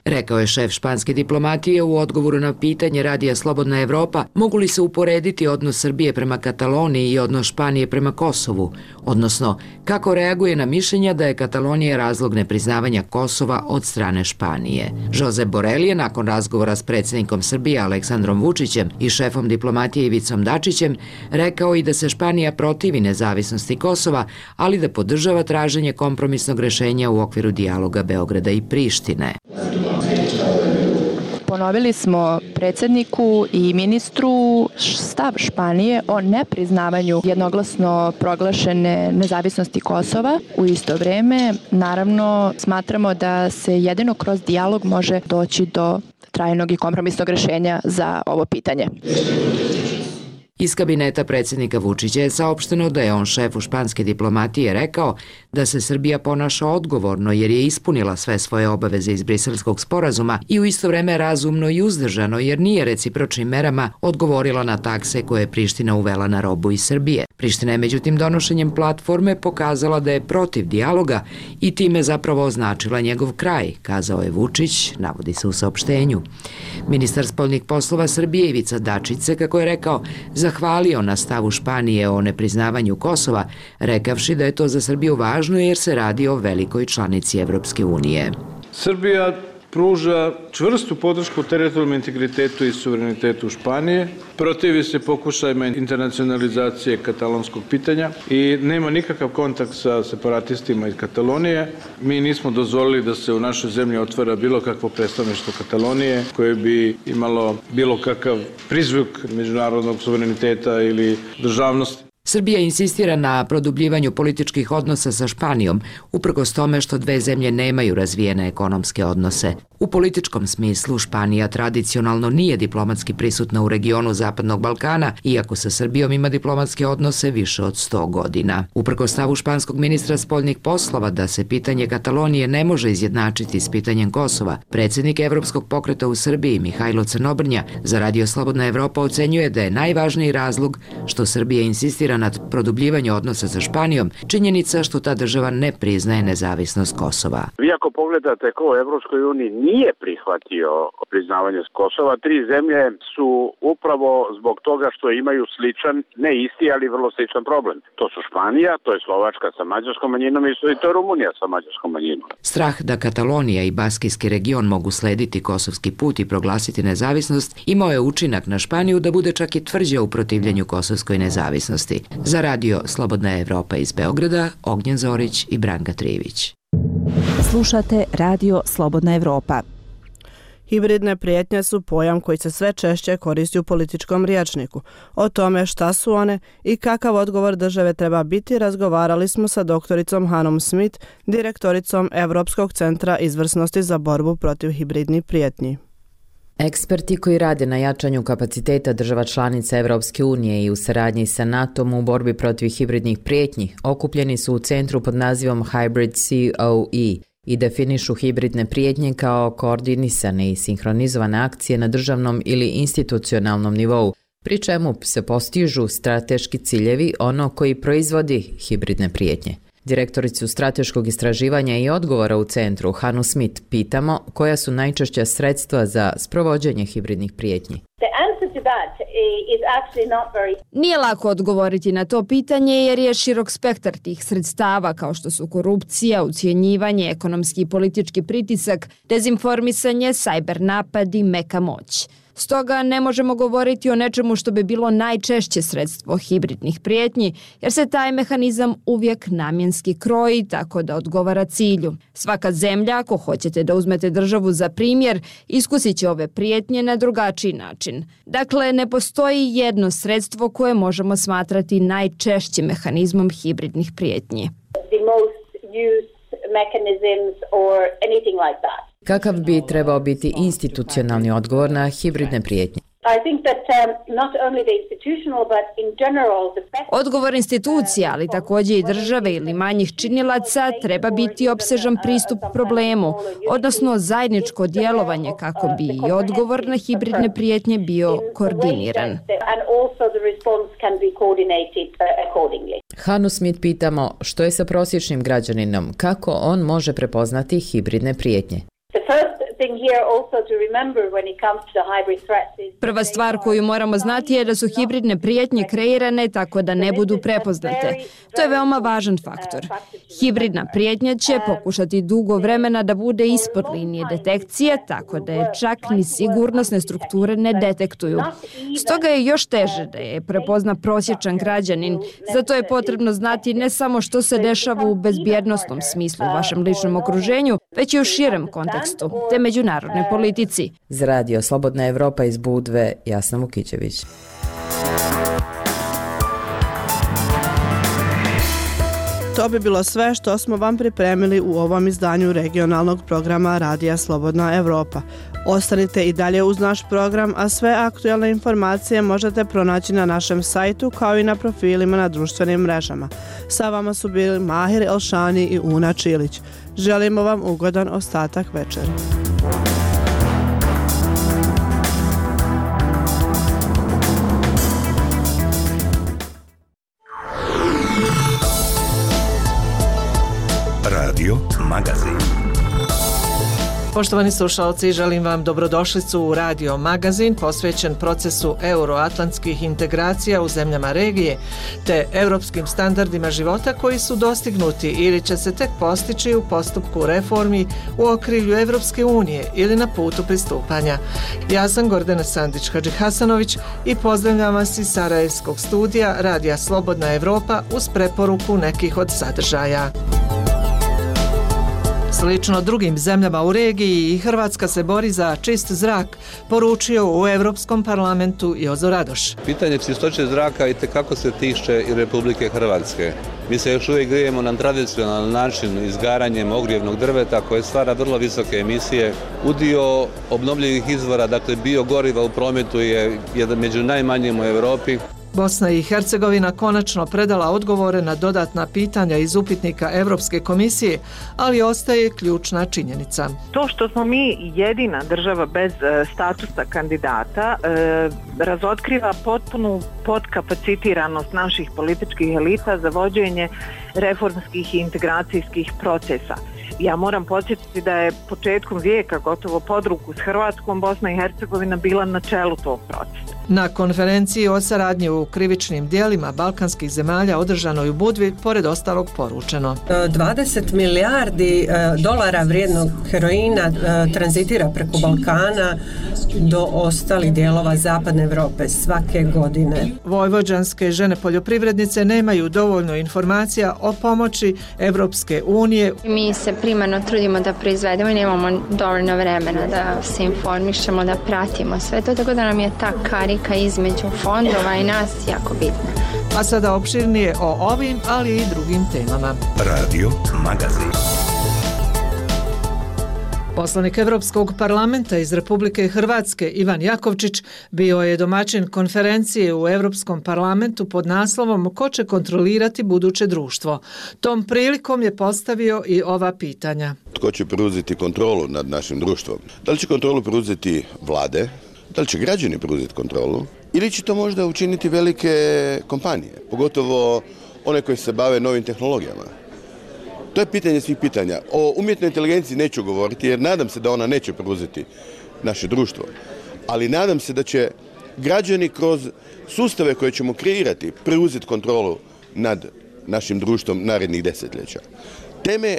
Rekao je šef španske diplomatije u odgovoru na pitanje Radija Slobodna Evropa mogu li se uporediti odnos Srbije prema Kataloniji i odnos Španije prema Kosovu, odnosno kako reaguje na mišljenja da je Katalonija razlog nepriznavanja Kosova od strane Španije. Josep Borrell je nakon razgovora s predsjednikom Srbije Aleksandrom Vučićem i šefom diplomatije Ivicom Dačićem rekao i da se Španija protivi nezavisnosti Kosova, ali da podržava traženje kompromisnog rešenja u okviru dijaloga Beograda i Prištine. Ponovili smo predsjedniku i ministru stav Španije o nepriznavanju jednoglasno proglašene nezavisnosti Kosova. U isto vrijeme, naravno, smatramo da se jedino kroz dijalog može doći do trajnog i kompromisnog rješenja za ovo pitanje. Iz kabineta predsjednika Vučića je saopšteno da je on šefu španske diplomatije rekao da se Srbija ponaša odgovorno jer je ispunila sve svoje obaveze iz Briselskog sporazuma i u isto vreme razumno i uzdržano jer nije recipročnim merama odgovorila na takse koje je Priština uvela na robu iz Srbije. Priština je međutim donošenjem platforme pokazala da je protiv dijaloga i time zapravo označila njegov kraj, kazao je Vučić, navodi se u saopštenju. Ministar spoljnih poslova Srbije Ivica Dačić se, kako je rekao, zahvalio na stavu Španije o nepriznavanju Kosova, rekavši da je to za Srbiju važno jer se radi o velikoj članici Evropske unije. Srbija pruža čvrstu podršku teritorijalnom integritetu i suverenitetu Španije, protivi se pokušajima internacionalizacije katalonskog pitanja i nema nikakav kontakt sa separatistima iz Katalonije. Mi nismo dozvolili da se u našoj zemlji otvara bilo kakvo predstavništvo Katalonije koje bi imalo bilo kakav prizvuk međunarodnog suvereniteta ili državnosti. Srbija insistira na produbljivanju političkih odnosa sa Španijom, uprkos tome što dve zemlje nemaju razvijene ekonomske odnose. U političkom smislu Španija tradicionalno nije diplomatski prisutna u regionu Zapadnog Balkana, iako sa Srbijom ima diplomatske odnose više od sto godina. Uprkos stavu španskog ministra spoljnih poslova da se pitanje Katalonije ne može izjednačiti s pitanjem Kosova, predsjednik Evropskog pokreta u Srbiji Mihajlo Crnobrnja za Radio Slobodna Evropa ocenjuje da je najvažniji razlog što Srbija insistira nad produbljivanjem odnosa sa Španijom činjenica što ta država ne priznaje nezavisnost Kosova. Vi ako pogledate ko u Evropskoj uniji nije prihvatio priznavanje Kosova, tri zemlje su upravo zbog toga što imaju sličan, ne isti, ali vrlo sličan problem. To su Španija, to je Slovačka sa mađarskom manjinom i to je Rumunija sa mađarskom manjinom. Strah da Katalonija i Baskijski region mogu slediti kosovski put i proglasiti nezavisnost imao je učinak na Španiju da bude čak i tvrđa u protivljenju kosovskoj nezavisnosti. Za Radio Slobodna Evropa iz Beograda, Ognjen Zorić i Branka Trivić. Slušate Radio Slobodna Evropa. Hibridne prijetnje su pojam koji se sve češće koristi u političkom rječniku. O tome šta su one i kakav odgovor države treba biti razgovarali smo sa doktoricom Hanom Smith, direktoricom Europskog centra izvrsnosti za borbu protiv hibridnih prijetnji. Eksperti koji rade na jačanju kapaciteta država članica Evropske unije i u saradnji sa NATO-om u borbi protiv hibridnih prijetnji okupljeni su u centru pod nazivom Hybrid C O E i definišu hibridne prijetnje kao koordinisane i sinhronizovane akcije na državnom ili institucionalnom nivou, pri čemu se postižu strateški ciljevi ono koji proizvodi hibridne prijetnje. Direktoricu strateškog istraživanja i odgovora u centru, Hanu Smith, pitamo koja su najčešća sredstva za sprovođenje hibridnih prijetnji. Nije lako odgovoriti na to pitanje jer je širok spektar tih sredstava kao što su korupcija, ucjenjivanje, ekonomski i politički pritisak, dezinformisanje, cyber napadi, meka moć. Stoga ne možemo govoriti o nečemu što bi bilo najčešće sredstvo hibridnih prijetnji, jer se taj mehanizam uvijek namjenski kroji tako da odgovara cilju. Svaka zemlja, ako hoćete da uzmete državu za primjer, iskusit će ove prijetnje na drugačiji način. Dakle, ne postoji jedno sredstvo koje možemo smatrati najčešćim mehanizmom hibridnih prijetnji. Kakav bi trebao biti institucionalni odgovor na hibridne prijetnje? Odgovor institucija, ali također i države ili manjih činilaca, treba biti opsežan pristup problemu, odnosno zajedničko djelovanje kako bi i odgovor na hibridne prijetnje bio koordiniran. Hanu Smith pitamo što je sa prosječnim građaninom, kako on može prepoznati hibridne prijetnje. Prva stvar koju moramo znati je da su hibridne prijetnje kreirane tako da ne budu prepoznate. To je veoma važan faktor. Hibridna prijetnja će pokušati dugo vremena da bude ispod linije detekcije, tako da je čak ni sigurnosne strukture ne detektuju. Stoga je još teže da je prepozna prosječan građanin. Zato je potrebno znati ne samo što se dešava u bezbjednosnom smislu u vašem ličnom okruženju, već i u širem kontekstu, te međunarodnoj politici. Za Radio Slobodna Evropa iz Budve, Jasna Vukićević. To bi bilo sve što smo vam pripremili u ovom izdanju regionalnog programa Radija Slobodna Evropa. Ostanite i dalje uz naš program, a sve aktualne informacije možete pronaći na našem sajtu kao i na profilima na društvenim mrežama. Sa vama su bili Mahir Elšani i Una Čilić. Želimo vam ugodan ostatak večeri. Radio Magazin. Poštovani slušalci, želim vam dobrodošlicu u Radio Magazin posvećen procesu euroatlantskih integracija u zemljama regije te europskim standardima života koji su dostignuti ili će se tek postići u postupku reformi u okrilju Evropske unije ili na putu pristupanja. Ja sam Gordana Sandić-Hadžihasanović i pozdravljam vas iz Sarajevskog studija Radija Slobodna Evropa uz preporuku nekih od sadržaja. Slično drugim zemljama u regiji i Hrvatska se bori za čist zrak, poručio u Europskom parlamentu Jozo Radoš. Pitanje čistoće zraka itekako se tiče i Republike Hrvatske. Mi se još uvijek grijemo na tradicionalan način izgaranjem ogrijevnog drveta koje stvara vrlo visoke emisije. Udio obnovljivih izvora, dakle biogoriva u prometu je jedan među najmanjim u Europi. Bosna i Hercegovina konačno predala odgovore na dodatna pitanja iz upitnika Europske komisije, ali ostaje ključna činjenica. To što smo mi jedina država bez statusa kandidata e, razotkriva potpunu podkapacitiranost naših političkih elita za vođenje reformskih i integracijskih procesa. Ja moram podsjetiti da je početkom vijeka, gotovo pod ruku s Hrvatskom, Bosna i Hercegovina bila na čelu tog procesa. Na konferenciji o saradnji u krivičnim dijelima balkanskih zemalja održanoj u Budvi, pored ostalog poručeno. dvadeset milijardi dolara vrijednog heroina tranzitira preko Balkana do ostalih dijelova zapadne Europe svake godine. Vojvođanske žene poljoprivrednice nemaju dovoljno informacija o pomoći Evropske unije. Mi se primarno trudimo da proizvedemo i nemamo dovoljno vremena da se informišemo, da pratimo sve to, tako da nam je ta karika između fondova i nas jako bitna. A sada opširnije o ovim, ali i drugim temama. Radio Magazin. Poslanik Evropskog parlamenta iz Republike Hrvatske Ivan Jakovčić bio je domaćin konferencije u Evropskom parlamentu pod naslovom Ko će kontrolirati buduće društvo. Tom prilikom je postavio i ova pitanja. Tko će preuzeti kontrolu nad našim društvom? Da li će kontrolu preuzeti vlade? Da li će građani preuzeti kontrolu? Ili će to možda učiniti velike kompanije, pogotovo one koje se bave novim tehnologijama? To je pitanje svih pitanja. O umjetnoj inteligenciji neću govoriti jer nadam se da ona neće preuzeti naše društvo. Ali nadam se da će građani kroz sustave koje ćemo kreirati preuzeti kontrolu nad našim društvom narednih desetljeća. Teme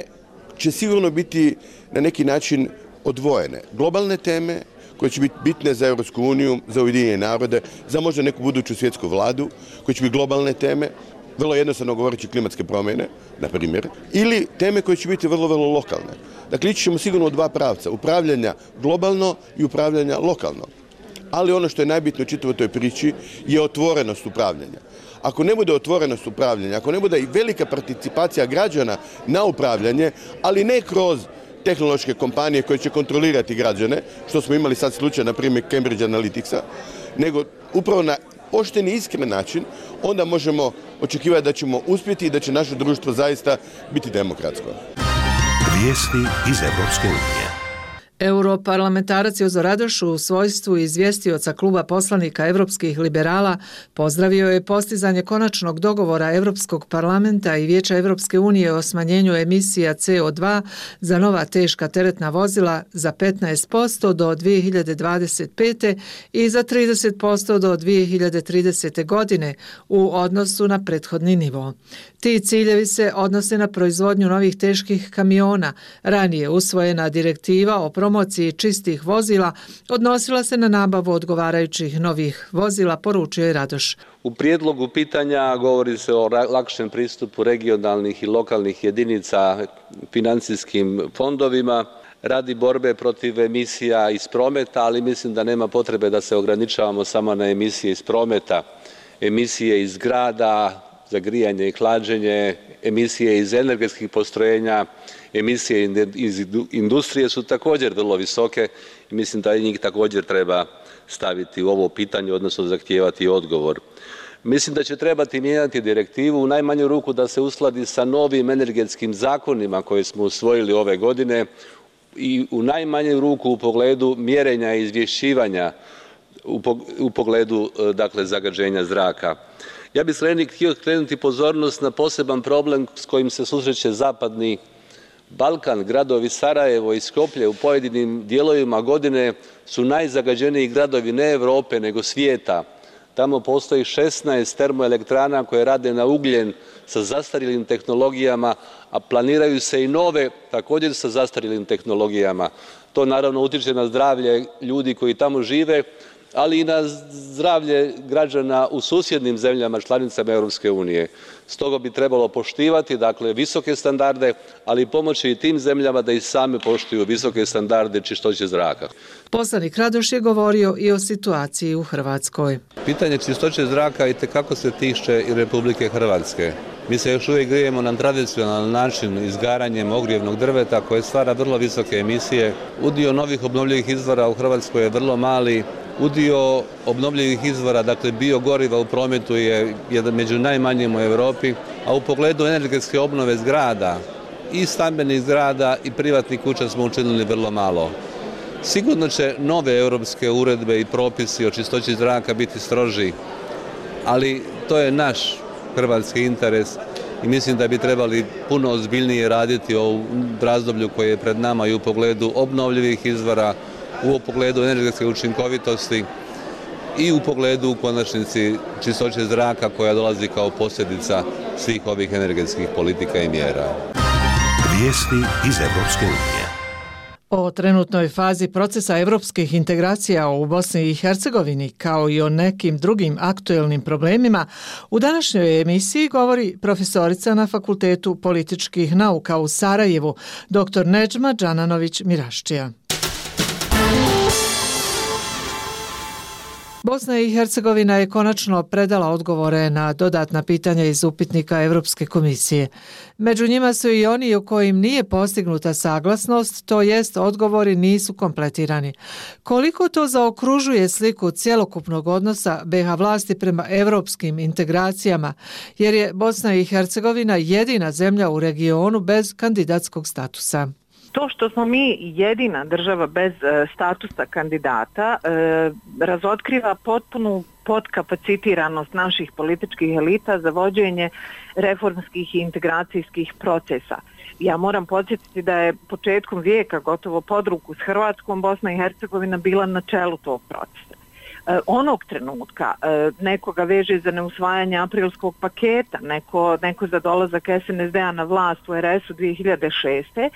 će sigurno biti na neki način odvojene. Globalne teme koje će biti bitne za Europsku uniju, za Ujedinjene narode, za možda neku buduću svjetsku vladu, koje će biti globalne teme, vrlo jednostavno govoreći klimatske promjene, na primjer, ili teme koje će biti vrlo, vrlo lokalne. Dakle, ići ćemo sigurno u dva pravca, upravljanja globalno i upravljanja lokalno. Ali ono što je najbitno u čitavoj toj priči je otvorenost upravljanja. Ako ne bude otvorenost upravljanja, ako ne bude i velika participacija građana na upravljanje, ali ne kroz tehnološke kompanije koje će kontrolirati građane, što smo imali sad slučaj, na primjer, Cambridge Analyticsa, nego upravo na pošteni i iskren način, onda možemo očekivati da ćemo uspjeti i da će naše društvo zaista biti demokratsko. Vijesti iz Evropske unije. Europarlamentarac Jozo Radoš u svojstvu izvjestioca kluba poslanika Evropskih liberala pozdravio je postizanje konačnog dogovora Europskog parlamenta i Vijeća Evropske unije o smanjenju emisija C O dva za nova teška teretna vozila za petnaest posto do dvije hiljade dvadeset pete. i za trideset posto do dvije hiljade tridesete. godine u odnosu na prethodni nivo. Ti ciljevi se odnose na proizvodnju novih teških kamiona. Ranije usvojena direktiva o promociji čistih vozila odnosila se na nabavu odgovarajućih novih vozila, poručio je Radoš. U prijedlogu pitanja govori se o lakšem pristupu regionalnih i lokalnih jedinica financijskim fondovima. radi borbe protiv emisija iz prometa, ali mislim da nema potrebe da se ograničavamo samo na emisije iz prometa. Emisije iz grada, za grijanje i hlađenje, emisije iz energetskih postrojenja, emisije iz industrije su također vrlo visoke i mislim da njih također treba staviti u ovo pitanje, odnosno zahtijevati odgovor. Mislim da će trebati mijenjati direktivu u najmanju ruku da se uskladi sa novim energetskim zakonima koje smo usvojili ove godine i u najmanju ruku u pogledu mjerenja i izvješćivanja u pogledu dakle, zagađenja zraka. Ja bih htio skrenuti pozornost na poseban problem s kojim se susreće zapadni Balkan. Gradovi Sarajevo i Skoplje u pojedinim dijelovima godine su najzagađeniji gradovi ne Europe nego svijeta. Tamo postoji šesnaest termoelektrana koje rade na ugljen sa zastarjelim tehnologijama, a planiraju se i nove također sa zastarjelim tehnologijama. To naravno utječe na zdravlje ljudi koji tamo žive, ali i na zdravlje građana u susjednim zemljama članicama Europske unije. Stoga bi trebalo poštivati dakle, visoke standarde, ali pomoći i tim zemljama da i same poštuju visoke standarde čistoće zraka. Poslanik Radoš je govorio i o situaciji u Hrvatskoj. Pitanje čistoće zraka itekako se tiče i Republike Hrvatske. Mi se još uvijek grijemo na tradicionalan način izgaranjem ogrijevnog drveta koje stvara vrlo visoke emisije. Udio novih obnovljivih izvora u Hrvatskoj je vrlo mali. Udio obnovljivih izvora, dakle biogoriva u prometu je jedan među najmanjim u Europi, a u pogledu energetske obnove zgrada i stambenih zgrada i privatnih kuća smo učinili vrlo malo. Sigurno će nove europske uredbe i propisi o čistoći zraka biti stroži, ali to je naš hrvatski interes i mislim da bi trebali puno ozbiljnije raditi u razdoblju koje je pred nama i u pogledu obnovljivih izvora, u pogledu energetske učinkovitosti i u pogledu u konačnici čistoće zraka koja dolazi kao posljedica svih ovih energetskih politika i mjera. Vijesti iz Europske unije. O trenutnoj fazi procesa europskih integracija u Bosni i Hercegovini kao i o nekim drugim aktuelnim problemima u današnjoj emisiji govori profesorica na Fakultetu političkih nauka u Sarajevu, dr Nedžma Džananović-Miraščija. Bosna i Hercegovina je konačno predala odgovore na dodatna pitanja iz upitnika Europske komisije. Među njima su i oni u kojim nije postignuta saglasnost, to jest odgovori nisu kompletirani. Koliko to zaokružuje sliku cjelokupnog odnosa be ha vlasti prema europskim integracijama, jer je Bosna i Hercegovina jedina zemlja u regionu bez kandidatskog statusa. To što smo mi jedina država bez e, statusa kandidata e, razotkriva potpunu podkapacitiranost naših političkih elita za vođenje reformskih i integracijskih procesa. Ja moram podsjetiti da je početkom vijeka, gotovo pod ruku s Hrvatskom, Bosna i Hercegovina bila na čelu tog procesa. E, onog trenutka e, nekoga veže za neusvajanje aprilskog paketa, neko, neko za dolazak es en es de a na vlast u er es u dvije hiljade šeste.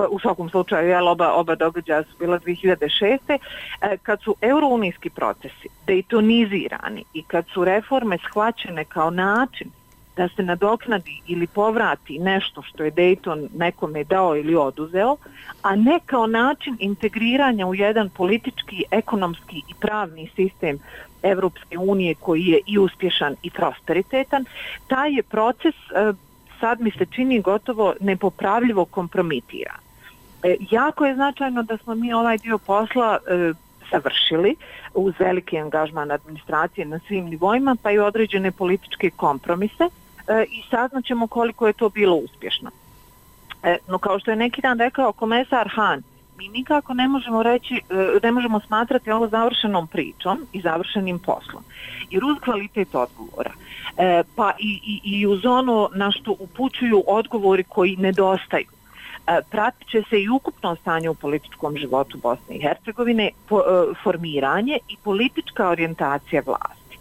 U svakom slučaju jel, oba, oba događaja su bila dvije hiljade šeste. E, kad su eurounijski procesi dejtonizirani i kad su reforme shvaćene kao način da se nadoknadi ili povrati nešto što je Dayton nekome dao ili oduzeo, a ne kao način integriranja u jedan politički, ekonomski i pravni sistem Evropske unije koji je i uspješan i prosperitetan, taj je proces sad mi se čini gotovo nepopravljivo kompromitiran. Jako je značajno da smo mi ovaj dio posla završili uz veliki angažman administracije na svim nivoima, pa i određene političke kompromise e, i saznaćemo koliko je to bilo uspješno. E, no kao što je neki dan rekao komesar Han, mi nikako ne možemo reći, e, ne možemo smatrati ovo završenom pričom i završenim poslom. Jer uz kvalitet odgovora, e, pa i, i, i uz ono na što upućuju odgovori koji nedostaju, pratit će se i ukupno stanje u političkom životu Bosne i Hercegovine, po, e, formiranje i politička orijentacija vlasti.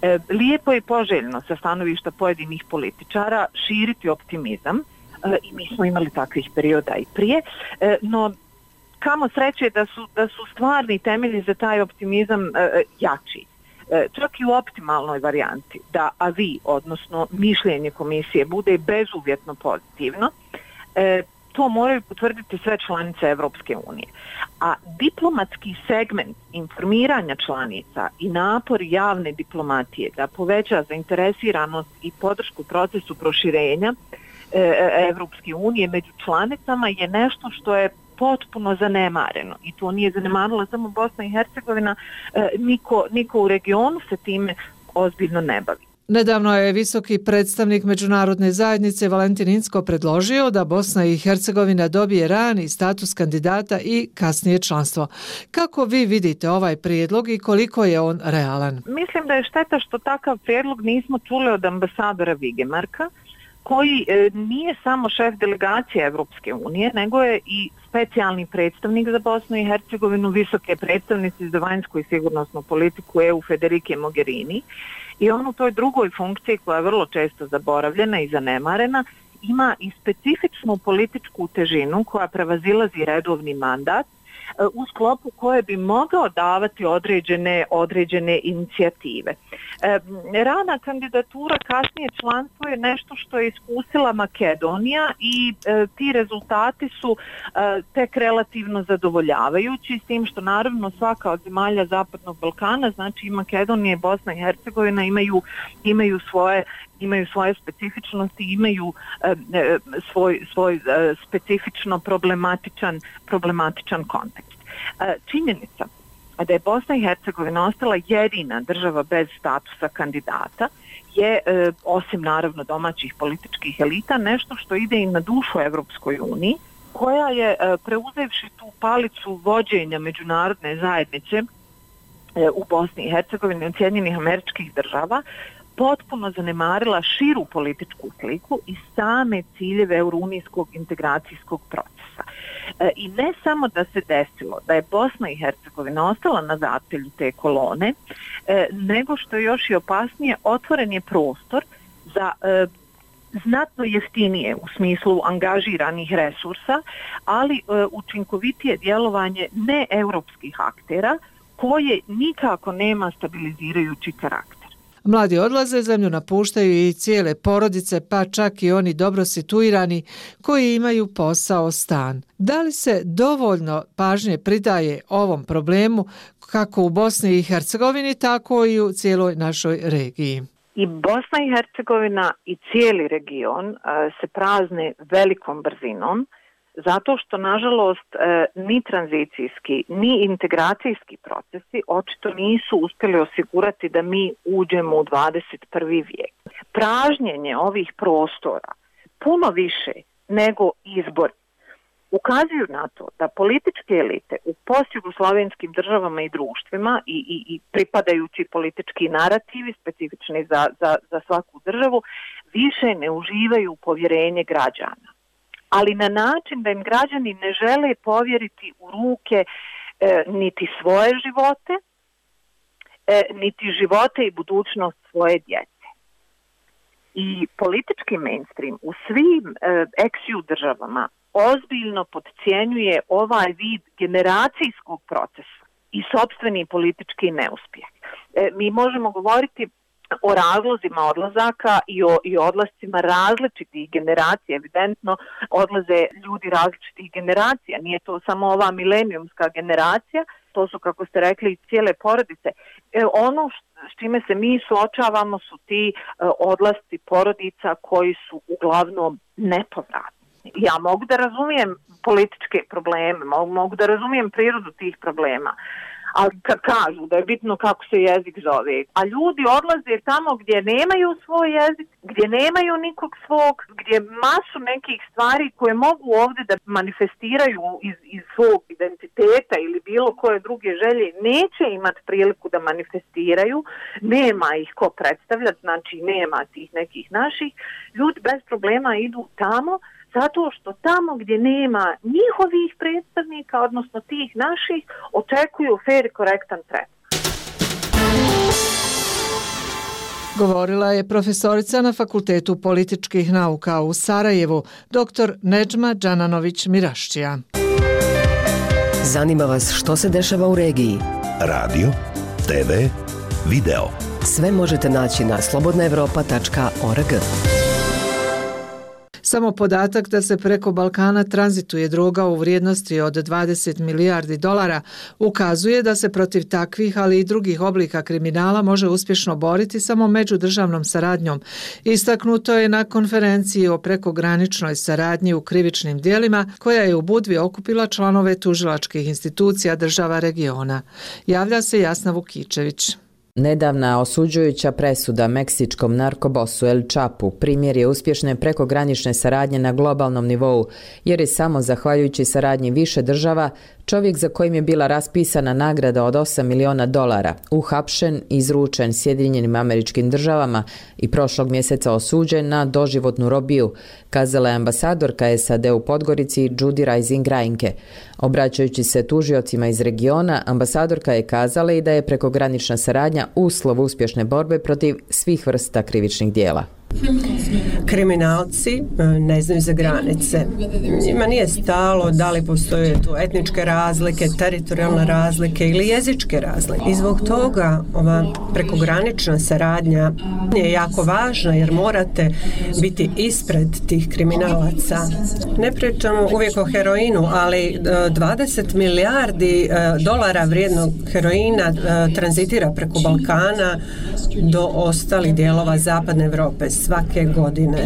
E, lijepo je poželjno sa stanovišta pojedinih političara širiti optimizam e, i mi smo imali takvih perioda i prije, e, no kamo sreće da su, da su stvarni temelji za taj optimizam e, jači. E, čak i u optimalnoj varijanti da avi, odnosno mišljenje komisije, bude bezuvjetno pozitivno, e, to moraju potvrditi sve članice Evropske unije. A diplomatski segment informiranja članica i napor javne diplomatije da poveća zainteresiranost i podršku procesu proširenja Evropske unije među članicama je nešto što je potpuno zanemareno i to nije zanemarila samo Bosna i Hercegovina, niko, niko u regionu se time ozbiljno ne bavi. Nedavno je visoki predstavnik međunarodne zajednice Valentin Incko predložio da Bosna i Hercegovina dobije rani status kandidata i kasnije članstvo. Kako vi vidite ovaj prijedlog i koliko je on realan? Mislim da je šteta što takav prijedlog nismo čuli od ambasadora Vigemarka, koji e, nije samo šef delegacije Evropske unije, nego je i specijalni predstavnik za Bosnu i Hercegovinu, visoke predstavnice za vanjsku i sigurnosnu politiku E U Federike Mogherini. I on u toj drugoj funkciji, koja je vrlo često zaboravljena i zanemarena, ima i specifičnu političku težinu koja prevazilazi redovni mandat, u sklopu koje bi mogao davati određene, određene inicijative. E, rana kandidatura, kasnije članstvo je nešto što je iskusila Makedonija i e, ti rezultati su e, tek relativno zadovoljavajući, s tim što naravno svaka od zemalja Zapadnog Balkana, znači i Makedonija i Bosna i Hercegovina imaju, imaju svoje imaju svoje specifičnosti, imaju e, svoj, svoj e, specifično problematičan, problematičan kontekst. E, činjenica da je Bosna i Hercegovina ostala jedina država bez statusa kandidata je, e, osim naravno domaćih političkih elita, nešto što ide i na dušu Evropskoj uniji, koja je e, preuzevši tu palicu vođenja međunarodne zajednice e, u Bosni i Hercegovini od Sjedinjenih Američkih Država, potpuno zanemarila širu političku sliku i same ciljeve eurounijskog integracijskog procesa. E, I ne samo da se desilo da je Bosna i Hercegovina ostala na zapelju te kolone, e, nego što je još i opasnije, otvoren je prostor za e, znatno jeftinije u smislu angažiranih resursa, ali e, učinkovitije djelovanje neeuropskih aktera koje nikako nema stabilizirajući karakter. Mladi odlaze, zemlju napuštaju i cijele porodice, pa čak i oni dobro situirani koji imaju posao, stan. Da li se dovoljno pažnje pridaje ovom problemu kako u Bosni i Hercegovini, tako i u cijeloj našoj regiji? I Bosna i Hercegovina i cijeli region uh, se prazne velikom brzinom, zato što, nažalost, ni tranzicijski, ni integracijski procesi očito nisu uspjeli osigurati da mi uđemo u dvadeset prvi vijek. Pražnjenje ovih prostora puno više nego izbor ukazuju na to da političke elite u postjugoslavenskim državama i društvima i, i, i pripadajući politički narativi specifični za, za, za svaku državu više ne uživaju povjerenje građana, ali na način da im građani ne žele povjeriti u ruke e, niti svoje živote, e, niti živote i budućnost svoje djece. I politički mainstream u svim e, ex-ju državama ozbiljno podcjenjuje ovaj vid generacijskog procesa i sopstveni politički neuspjeh. E, mi možemo govoriti o razlozima odlazaka i o i odlascima različitih generacija. Evidentno odlaze ljudi različitih generacija. Nije to samo ova milenijumska generacija, to su, kako ste rekli, cijele porodice. E, ono s čime se mi suočavamo su ti e, odlasci porodica koji su uglavnom nepovratni. Ja mogu da razumijem političke probleme, mogu, mogu da razumijem prirodu tih problema, ali kad kažu da je bitno kako se jezik zove, a ljudi odlaze tamo gdje nemaju svoj jezik, gdje nemaju nikog svog, gdje masu nekih stvari koje mogu ovdje da manifestiraju iz, iz svog identiteta ili bilo koje druge želje, neće imati priliku da manifestiraju, nema ih ko predstavljati, znači nema tih nekih naših, ljudi bez problema idu tamo, zato što tamo gdje nema njihovih predstavnika, odnosno tih naših, očekuju fair i korektan tretman. Govorila je profesorica na Fakultetu političkih nauka u Sarajevu, dr. Nedžma Džananović-Miraščija. Zanima vas što se dešava u regiji? Radio, te ve, video. Sve možete naći na slobodna evropa tačka org. Samo podatak da se preko Balkana tranzituje droga u vrijednosti od dvadeset milijardi dolara ukazuje da se protiv takvih, ali i drugih oblika kriminala može uspješno boriti samo međudržavnom saradnjom. Istaknuto je na konferenciji o prekograničnoj saradnji u krivičnim djelima koja je u Budvi okupila članove tužilačkih institucija država regiona. Javlja se Jasna Vukičević. Nedavna osuđujuća presuda meksičkom narkobosu El Chapu primjer je uspješne prekogranične saradnje na globalnom nivou, jer je samo zahvaljujući saradnji više država čovjek za kojim je bila raspisana nagrada od osam miliona dolara uhapšen, izručen Sjedinjenim Američkim Državama i prošlog mjeseca osuđen na doživotnu robiju, kazala je ambasadorka S A D u Podgorici Judy Rising Reinke. Obraćajući se tužiocima iz regiona, ambasadorka je kazala i da je prekogranična saradnja uslov uspješne borbe protiv svih vrsta krivičnih djela. Kriminalci ne znaju za granice. Njima nije stalo da li postoje tu etničke razlike, teritorijalne razlike ili jezičke razlike. I zbog toga ova prekogranična saradnja je jako važna jer morate biti ispred tih kriminalaca. Ne pričamo uvijek o heroinu, ali dvadeset milijardi dolara vrijednog heroina tranzitira preko Balkana do ostalih dijelova zapadne Europe svake godine.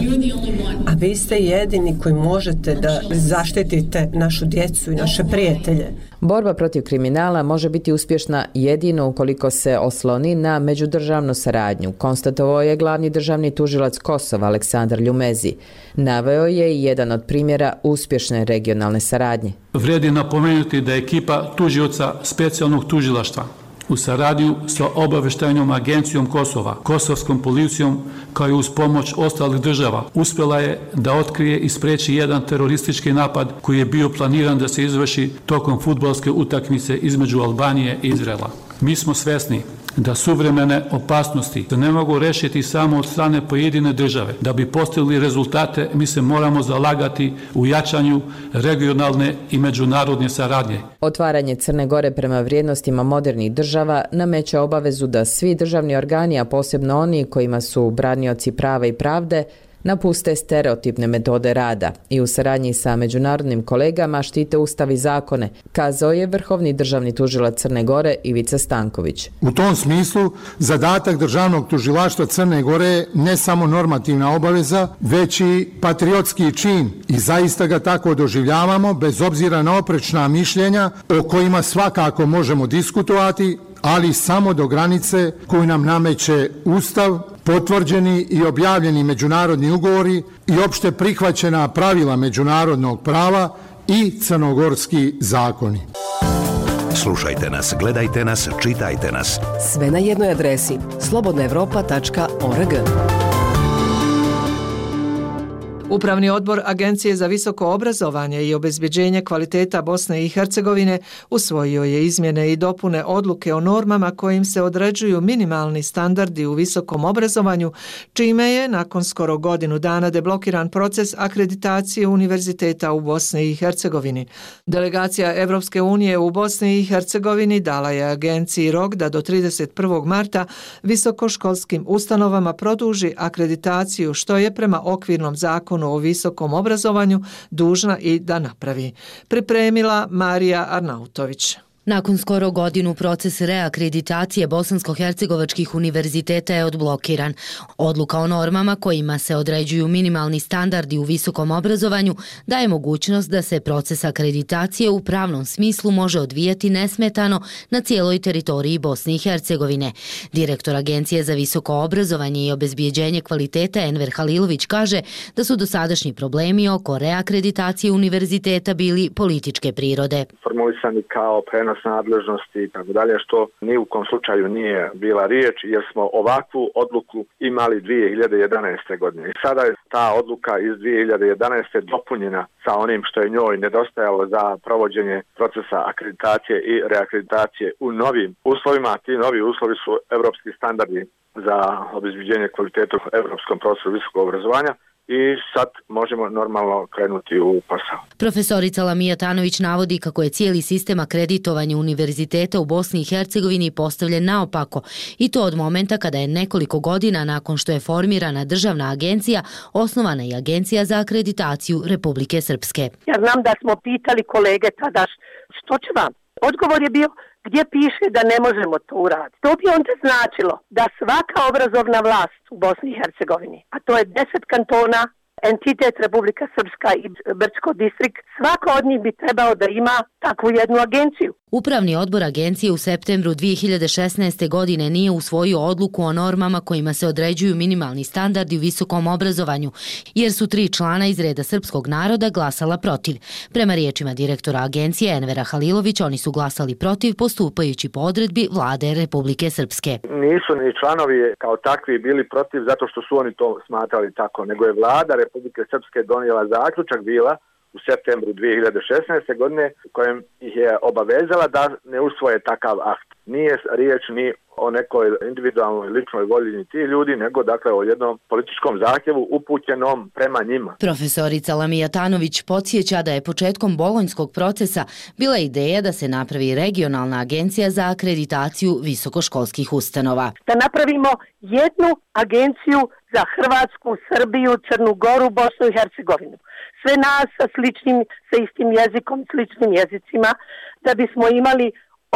A vi ste jedini koji možete da zaštitite našu djecu i naše prijatelje. Borba protiv kriminala može biti uspješna jedino ukoliko se osloni na međudržavnu saradnju, konstatovao je glavni državni tužilac Kosova Aleksandar Ljumezi. Naveo je i jedan od primjera uspješne regionalne saradnje. Vrijedi napomenuti da je ekipa tužioca specijalnog tužilaštva u saradnju sa obavještajnom agencijom Kosova, kosovskom policijom, kao i uz pomoć ostalih država, uspjela je da otkrije i spriječi jedan teroristički napad koji je bio planiran da se izvrši tokom fudbalske utakmice između Albanije i Izraela. Mi smo svjesni da suvremene opasnosti se ne mogu rešiti samo od strane pojedine države. Da bi postigli rezultate, mi se moramo zalagati u jačanju regionalne i međunarodne saradnje. Otvaranje Crne Gore prema vrijednostima modernih država nameće obavezu da svi državni organi, a posebno oni kojima su branioci prava i pravde, napuste stereotipne metode rada i u saradnji sa međunarodnim kolegama štite ustav i zakone, kazao je vrhovni državni tužilac Crne Gore Ivica Stanković. U tom smislu, zadatak državnog tužilaštva Crne Gore je ne samo normativna obaveza, već i patriotski čin i zaista ga tako doživljavamo, bez obzira na oprečna mišljenja o kojima svakako možemo diskutovati, ali samo do granice koju nam nameće Ustav, potvrđeni i objavljeni međunarodni ugovori i opšte prihvaćena pravila međunarodnog prava i crnogorski zakoni. Slušajte nas, gledajte nas, čitajte nas. Sve na jednoj adresi slobodna evropa tačka org. Upravni odbor Agencije za visoko obrazovanje i obezbeđenje kvaliteta Bosne i Hercegovine usvojio je izmjene i dopune odluke o normama kojim se određuju minimalni standardi u visokom obrazovanju, čime je nakon skoro godinu dana deblokiran proces akreditacije univerziteta u Bosni i Hercegovini. Delegacija Evropske unije u Bosni i Hercegovini dala je agenciji rok da do trideset prvog marta visokoškolskim ustanovama produži akreditaciju, što je prema okvirnom zakonu o visokom obrazovanju dužna i da napravi. Pripremila Marija Arnautović. Nakon skoro godinu proces reakreditacije bosansko-hercegovačkih univerziteta je odblokiran. Odluka o normama kojima se određuju minimalni standardi u visokom obrazovanju daje mogućnost da se proces akreditacije u pravnom smislu može odvijati nesmetano na cijeloj teritoriji Bosne i Hercegovine. Direktor Agencije za visoko obrazovanje i obezbijeđenje kvaliteta Enver Halilović kaže da su dosadašnji problemi oko reakreditacije univerziteta bili političke prirode. Formulisani kao prenos nadležnosti i tako dalje, što ni u kom slučaju nije bila riječ, jer smo ovakvu odluku imali dvije hiljade jedanaeste. godine. I sada je ta odluka iz dvije hiljade jedanaeste. dopunjena sa onim što je njoj nedostajalo za provođenje procesa akreditacije i reakreditacije u novim uslovima. Ti novi uslovi su evropski standardi za obezbeđenje kvaliteta u evropskom prostoru visokog obrazovanja i sad možemo normalno krenuti u posao. Profesorica Lamija Tanović navodi kako je cijeli sistem akreditovanja univerziteta u Bosni i Hercegovini postavljen naopako i to od momenta kada je nekoliko godina nakon što je formirana državna agencija, osnovana i Agencija za akreditaciju Republike Srpske. Ja znam da smo pitali kolege tada što će vam. Odgovor je bio gdje piše da ne možemo to uraditi. To bi onda značilo da svaka obrazovna vlast u Bosni i Hercegovini, a to je deset kantona, entitet Republika Srpska i Brčko distrikt, svaka od njih bi trebao da ima takvu jednu agenciju. Upravni odbor agencije u septembru dvije hiljade šesnaeste. godine nije usvojio odluku o normama kojima se određuju minimalni standardi u visokom obrazovanju, jer su tri člana iz reda srpskog naroda glasala protiv. Prema riječima direktora agencije Envera Halilovića, oni su glasali protiv postupajući po odredbi vlade Republike Srpske. Nisu ni članovi kao takvi bili protiv zato što su oni to smatrali tako, nego je vlada Republike Srpske donijela zaključak bila u septembru dvije hiljade šesnaeste. godine kojem ih je obavezala da ne usvoje takav akt. Nije riječ ni o nekoj individualnoj ličnoj volji ni ti ljudi, nego dakle o jednom političkom zahtjevu upućenom prema njima. Profesorica Lamija Tanović podsjeća da je početkom bolonjskog procesa bila ideja da se napravi regionalna agencija za akreditaciju visokoškolskih ustanova. Da napravimo jednu agenciju za Hrvatsku, Srbiju, Crnu Goru, Bosnu i Hercegovinu. Sve nas sa sličnim, sa istim jezikom, sličnim jezicima, da bismo imali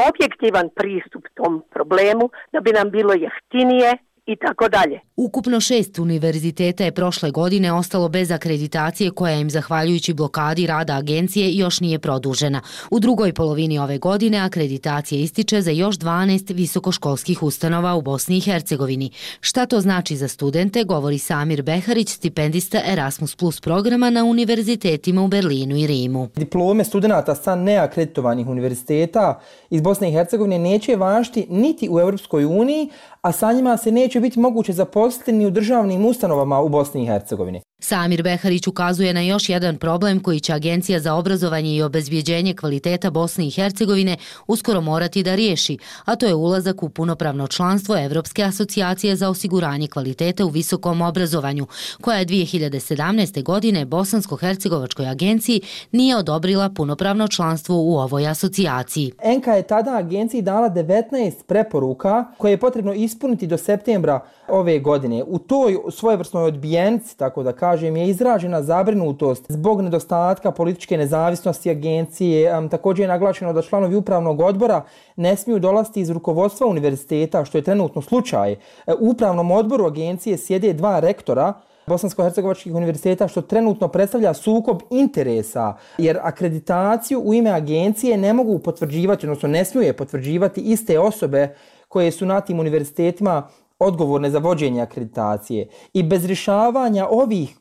objektivan pristup tom problemu, da bi nam bilo jeftinije i tako dalje. Ukupno šest univerziteta je prošle godine ostalo bez akreditacije koja im, zahvaljujući blokadi rada agencije, još nije produžena. U drugoj polovini ove godine akreditacija ističe za još dvanaest visokoškolskih ustanova u Bosni i Hercegovini. Šta to znači za studente, govori Samir Beharić, stipendista Erasmus plus programa na univerzitetima u Berlinu i Rimu. Diplome studenta sa neakreditovanih univerziteta iz Bosne i Hercegovine neće važiti niti u Europskoj uniji, a sa njima se neće biti moguće zaposliti ni u državnim ustanovama u Bosni i Hercegovini. Samir Beharić ukazuje na još jedan problem koji će Agencija za obrazovanje i obezbjeđenje kvaliteta Bosne i Hercegovine uskoro morati da riješi, a to je ulazak u punopravno članstvo Evropske asocijacije za osiguranje kvaliteta u visokom obrazovanju, koja je dvije hiljade sedamnaeste. godine Bosansko-hercegovačkoj agenciji nije odobrila punopravno članstvo u ovoj asocijaciji. Enka je tada agenciji dala devetnaest preporuka koje je potrebno ispuniti do septembra ove godine. U toj svojevrsnoj odbijenici, tako da kažem, je izražena zabrinutost zbog nedostatka političke nezavisnosti agencije. Također je naglašeno da članovi upravnog odbora ne smiju dolaziti iz rukovodstva univerziteta, što je trenutno slučaj. U upravnom odboru agencije sjede dva rektora Bosansko-hercegovačkih univerziteta, što trenutno predstavlja sukob interesa, jer akreditaciju u ime agencije ne mogu potvrđivati, odnosno ne smiju je potvrđivati iste osobe koje su na tim univerzitetima odgovorne za vođenje akreditacije. I bez rješavanja ovih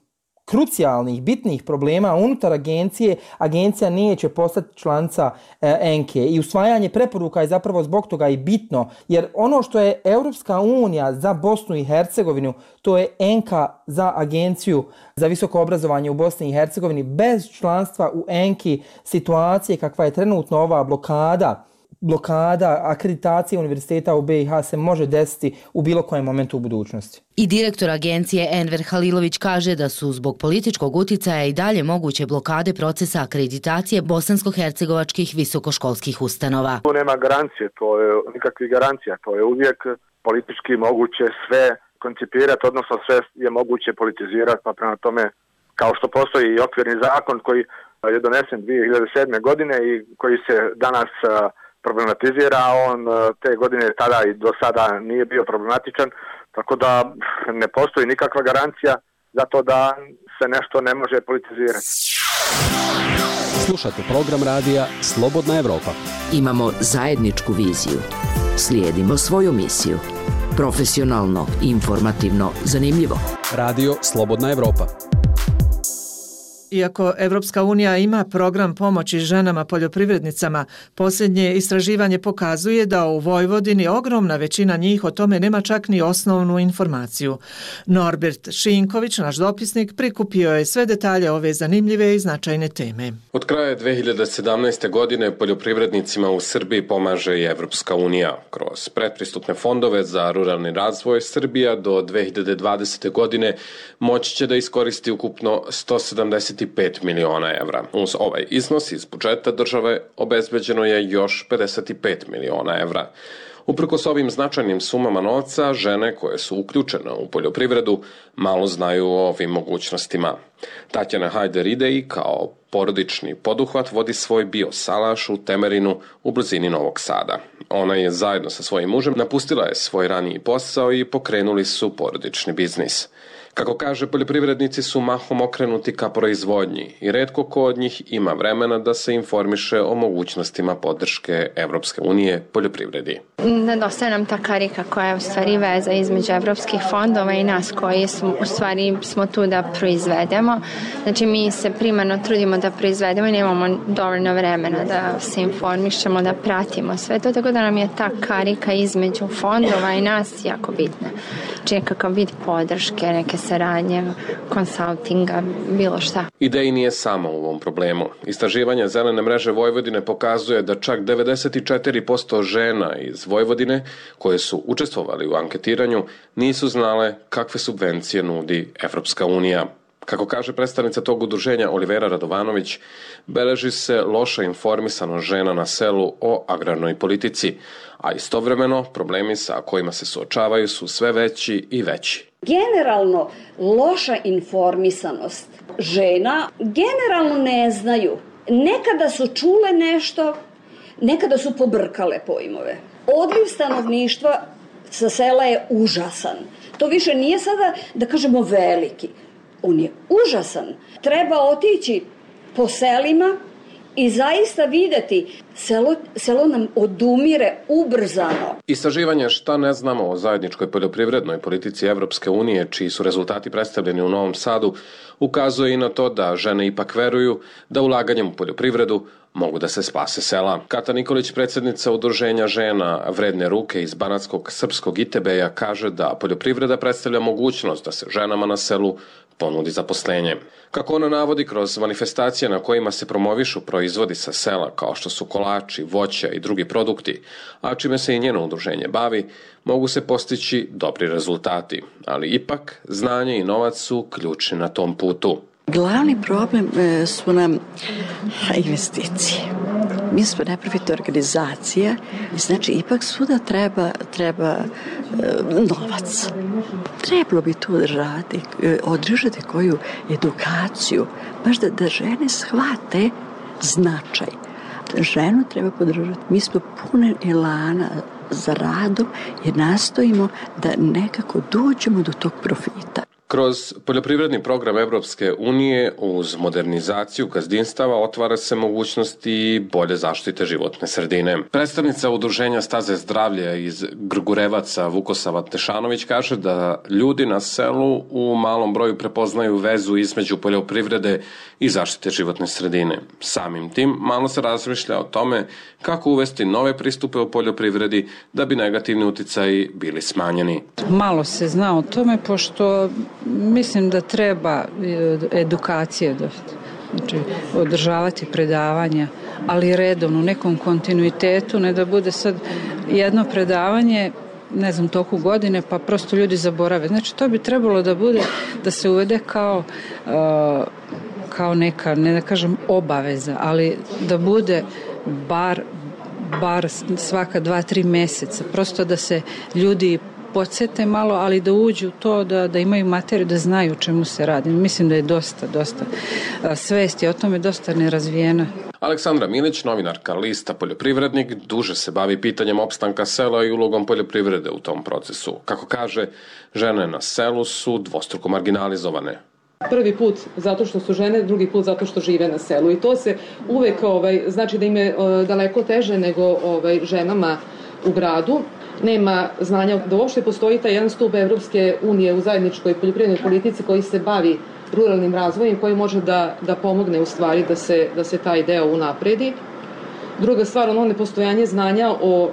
krucijalnih, bitnih problema unutar agencije, agencija neće postati članica e, Enke. I usvajanje preporuka je zapravo zbog toga i bitno, jer ono što je Europska unija za Bosnu i Hercegovinu, to je Enka za agenciju za visoko obrazovanje u Bosni i Hercegovini. Bez članstva u Enki, situacije kakva je trenutno ova blokada, blokada akreditacije univerziteta u B i H se može desiti u bilo kojem momentu u budućnosti. I direktor agencije Enver Halilović kaže da su zbog političkog uticaja i dalje moguće blokade procesa akreditacije bosansko-hercegovačkih visokoškolskih ustanova. To nema garancije, to je nikakvih garancija, to je uvijek politički moguće sve koncipirati, odnosno sve je moguće politizirati, pa prema tome, kao što postoji i okvirni zakon koji je donesen dvije hiljade sedme. godine i koji se danas problematizira, on te godine tada i do sada nije bio problematičan, tako da ne postoji nikakva garancija za to da se nešto ne može politizirati. Slušate program radija Slobodna Evropa. Imamo zajedničku viziju. Slijedimo svoju misiju. Profesionalno, informativno, zanimljivo. Radio Slobodna Evropa. Iako Evropska unija ima program pomoći ženama poljoprivrednicama, posljednje istraživanje pokazuje da u Vojvodini ogromna većina njih o tome nema čak ni osnovnu informaciju. Norbert Šinković, naš dopisnik, prikupio je sve detalje ove zanimljive i značajne teme. Od kraja dve hiljade sedamnaeste. godine poljoprivrednicima u Srbiji pomaže i Evropska unija. Kroz pretpristupne fondove za ruralni razvoj Srbija do dve hiljade dvadesete. godine moći će da iskoristi ukupno sto sedamdeset pet miliona evra. Uz ovaj iznos iz budžeta države obezbeđeno je još pedeset pet miliona evra. Uprkos ovim značajnim sumama novca, žene koje su uključene u poljoprivredu malo znaju o ovim mogućnostima. Tatjana Hajder-Idej kao porodični poduhvat vodi svoj biosalaš u Temerinu u blizini Novog Sada. Ona je zajedno sa svojim mužem napustila je svoj raniji posao i pokrenuli su porodični biznis. Kako kaže, poljoprivrednici su mahom okrenuti ka proizvodnji i retko ko od njih ima vremena da se informiše o mogućnostima podrške Evropske unije poljoprivredi. Nedostaje nam ta karika koja je u stvari veza između evropskih fondova i nas koji smo, u stvari smo tu da proizvedemo. Znači mi se primarno trudimo da proizvedemo i nemamo dovoljno vremena da se informišemo, da pratimo sve to, tako da nam je ta karika između fondova i nas jako bitna. Znači nekakav vid podrške, neke saradnje, konsultinga, bilo šta. Ideja nije samo u ovom problemu. Istraživanje Zelene mreže Vojvodine pokazuje da čak devedeset četiri posto žena iz Vojvodine koje su učestvovali u anketiranju nisu znale kakve subvencije nudi Evropska unija. Kako kaže predstavnica tog udruženja Olivera Radovanović, beleži se loša informisanost žena na selu o agrarnoj politici, a istovremeno problemi sa kojima se suočavaju su sve veći i veći. Generalno, loša informisanost žena generalno ne znaju. Nekada su čule nešto, nekada su pobrkale pojmove. Odliv stanovništva sa sela je užasan. To više nije sada, da kažemo, veliki. On je užasan. Treba otići po selima i zaista videti selo, selo nam odumire ubrzano. Istraživanje Šta ne znamo o zajedničkoj poljoprivrednoj politici Evropske unije, čiji su rezultati predstavljeni u Novom Sadu, ukazuje i na to da žene ipak veruju da ulaganjem u poljoprivredu mogu da se spase sela. Kata Nikolić, predsjednica udruženja žena Vredne ruke iz banatskog srpskog Itebeja, kaže da poljoprivreda predstavlja mogućnost da se ženama na selu ponudi zaposlenje. Kako ona navodi, kroz manifestacije na kojima se promovišu proizvodi sa sela, kao što su kolači, voća i drugi produkti, a čime se i njeno udruženje bavi, mogu se postići dobri rezultati. Ali ipak, znanje i novac su ključni na tom putu. Glavni problem su nam investicije. Mi smo neprofitna organizacija i znači ipak svuda treba, treba e, novac. Trebalo bi tu održati, održati koju edukaciju, baš da, da žene shvate značaj. Ženu treba podržati. Mi smo pune elana za radom jer nastojimo da nekako dođemo do tog profita. Kroz poljoprivredni program Evropske unije uz modernizaciju gazdinstava otvara se mogućnosti bolje zaštite životne sredine. Predstavnica udruženja Staze zdravlja iz Grgurevaca Vukosava Tešanović kaže da ljudi na selu u malom broju prepoznaju vezu između poljoprivrede i zaštite životne sredine. Samim tim malo se razmišlja o tome kako uvesti nove pristupe u poljoprivredi da bi negativni uticaji bili smanjeni. Malo se zna o tome pošto mislim da treba edukacije, znači održavati predavanja, ali redovno, u nekom kontinuitetu, ne da bude sad jedno predavanje, ne znam, toku godine, pa prosto ljudi zaborave. Znači to bi trebalo da bude, da se uvede kao, uh, kao neka, ne da kažem obaveza, ali da bude bar, bar svaka dva, tri meseca, prosto da se ljudi podsjete malo, ali da uđu u to, da, da imaju materiju, da znaju o čemu se radi. Mislim da je dosta, dosta svesti, o tome dosta nerazvijena. Aleksandra Milić, novinarka lista Poljoprivrednik, duže se bavi pitanjem opstanka sela i ulogom poljoprivrede u tom procesu. Kako kaže, žene na selu su dvostruko marginalizovane. Prvi put zato što su žene, drugi put zato što žive na selu. I to se uvek ovaj, znači da im je daleko teže nego ovaj, ženama u gradu. Nema znanja da uopšte postoji taj jedan stup Evropske unije u zajedničkoj poljoprivrednoj politici koji se bavi ruralnim razvojem koji može da, da pomogne u stvari da se, da se taj deo unapredi. Druga stvar, ono nepostojanje znanja o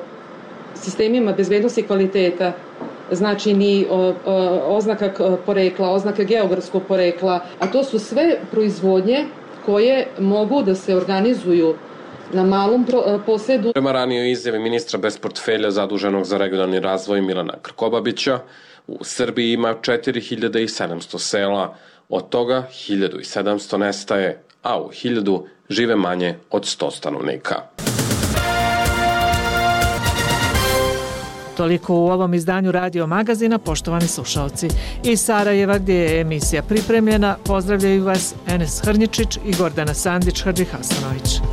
sistemima bezbednosti i kvaliteta, znači ni o, o, oznaka porekla, oznaka geografskog porekla, a to su sve proizvodnje koje mogu da se organizuju na malom posedu. Prema ranijoj izjavi ministra bez portfelja zaduženog za regionalni razvoj Milana Krkobabića, u Srbiji ima četiri hiljade sedamsto sela, od toga hiljadu sedamsto nestaje, a u hiljadu žive manje od sto stanovnika. Toliko u ovom izdanju Radio Magazina, poštovani slušalci. Iz Sarajeva, gdje je emisija pripremljena, pozdravljaju vas Enes Hrnjičić i Gordana Sandić-Hadžihasanović.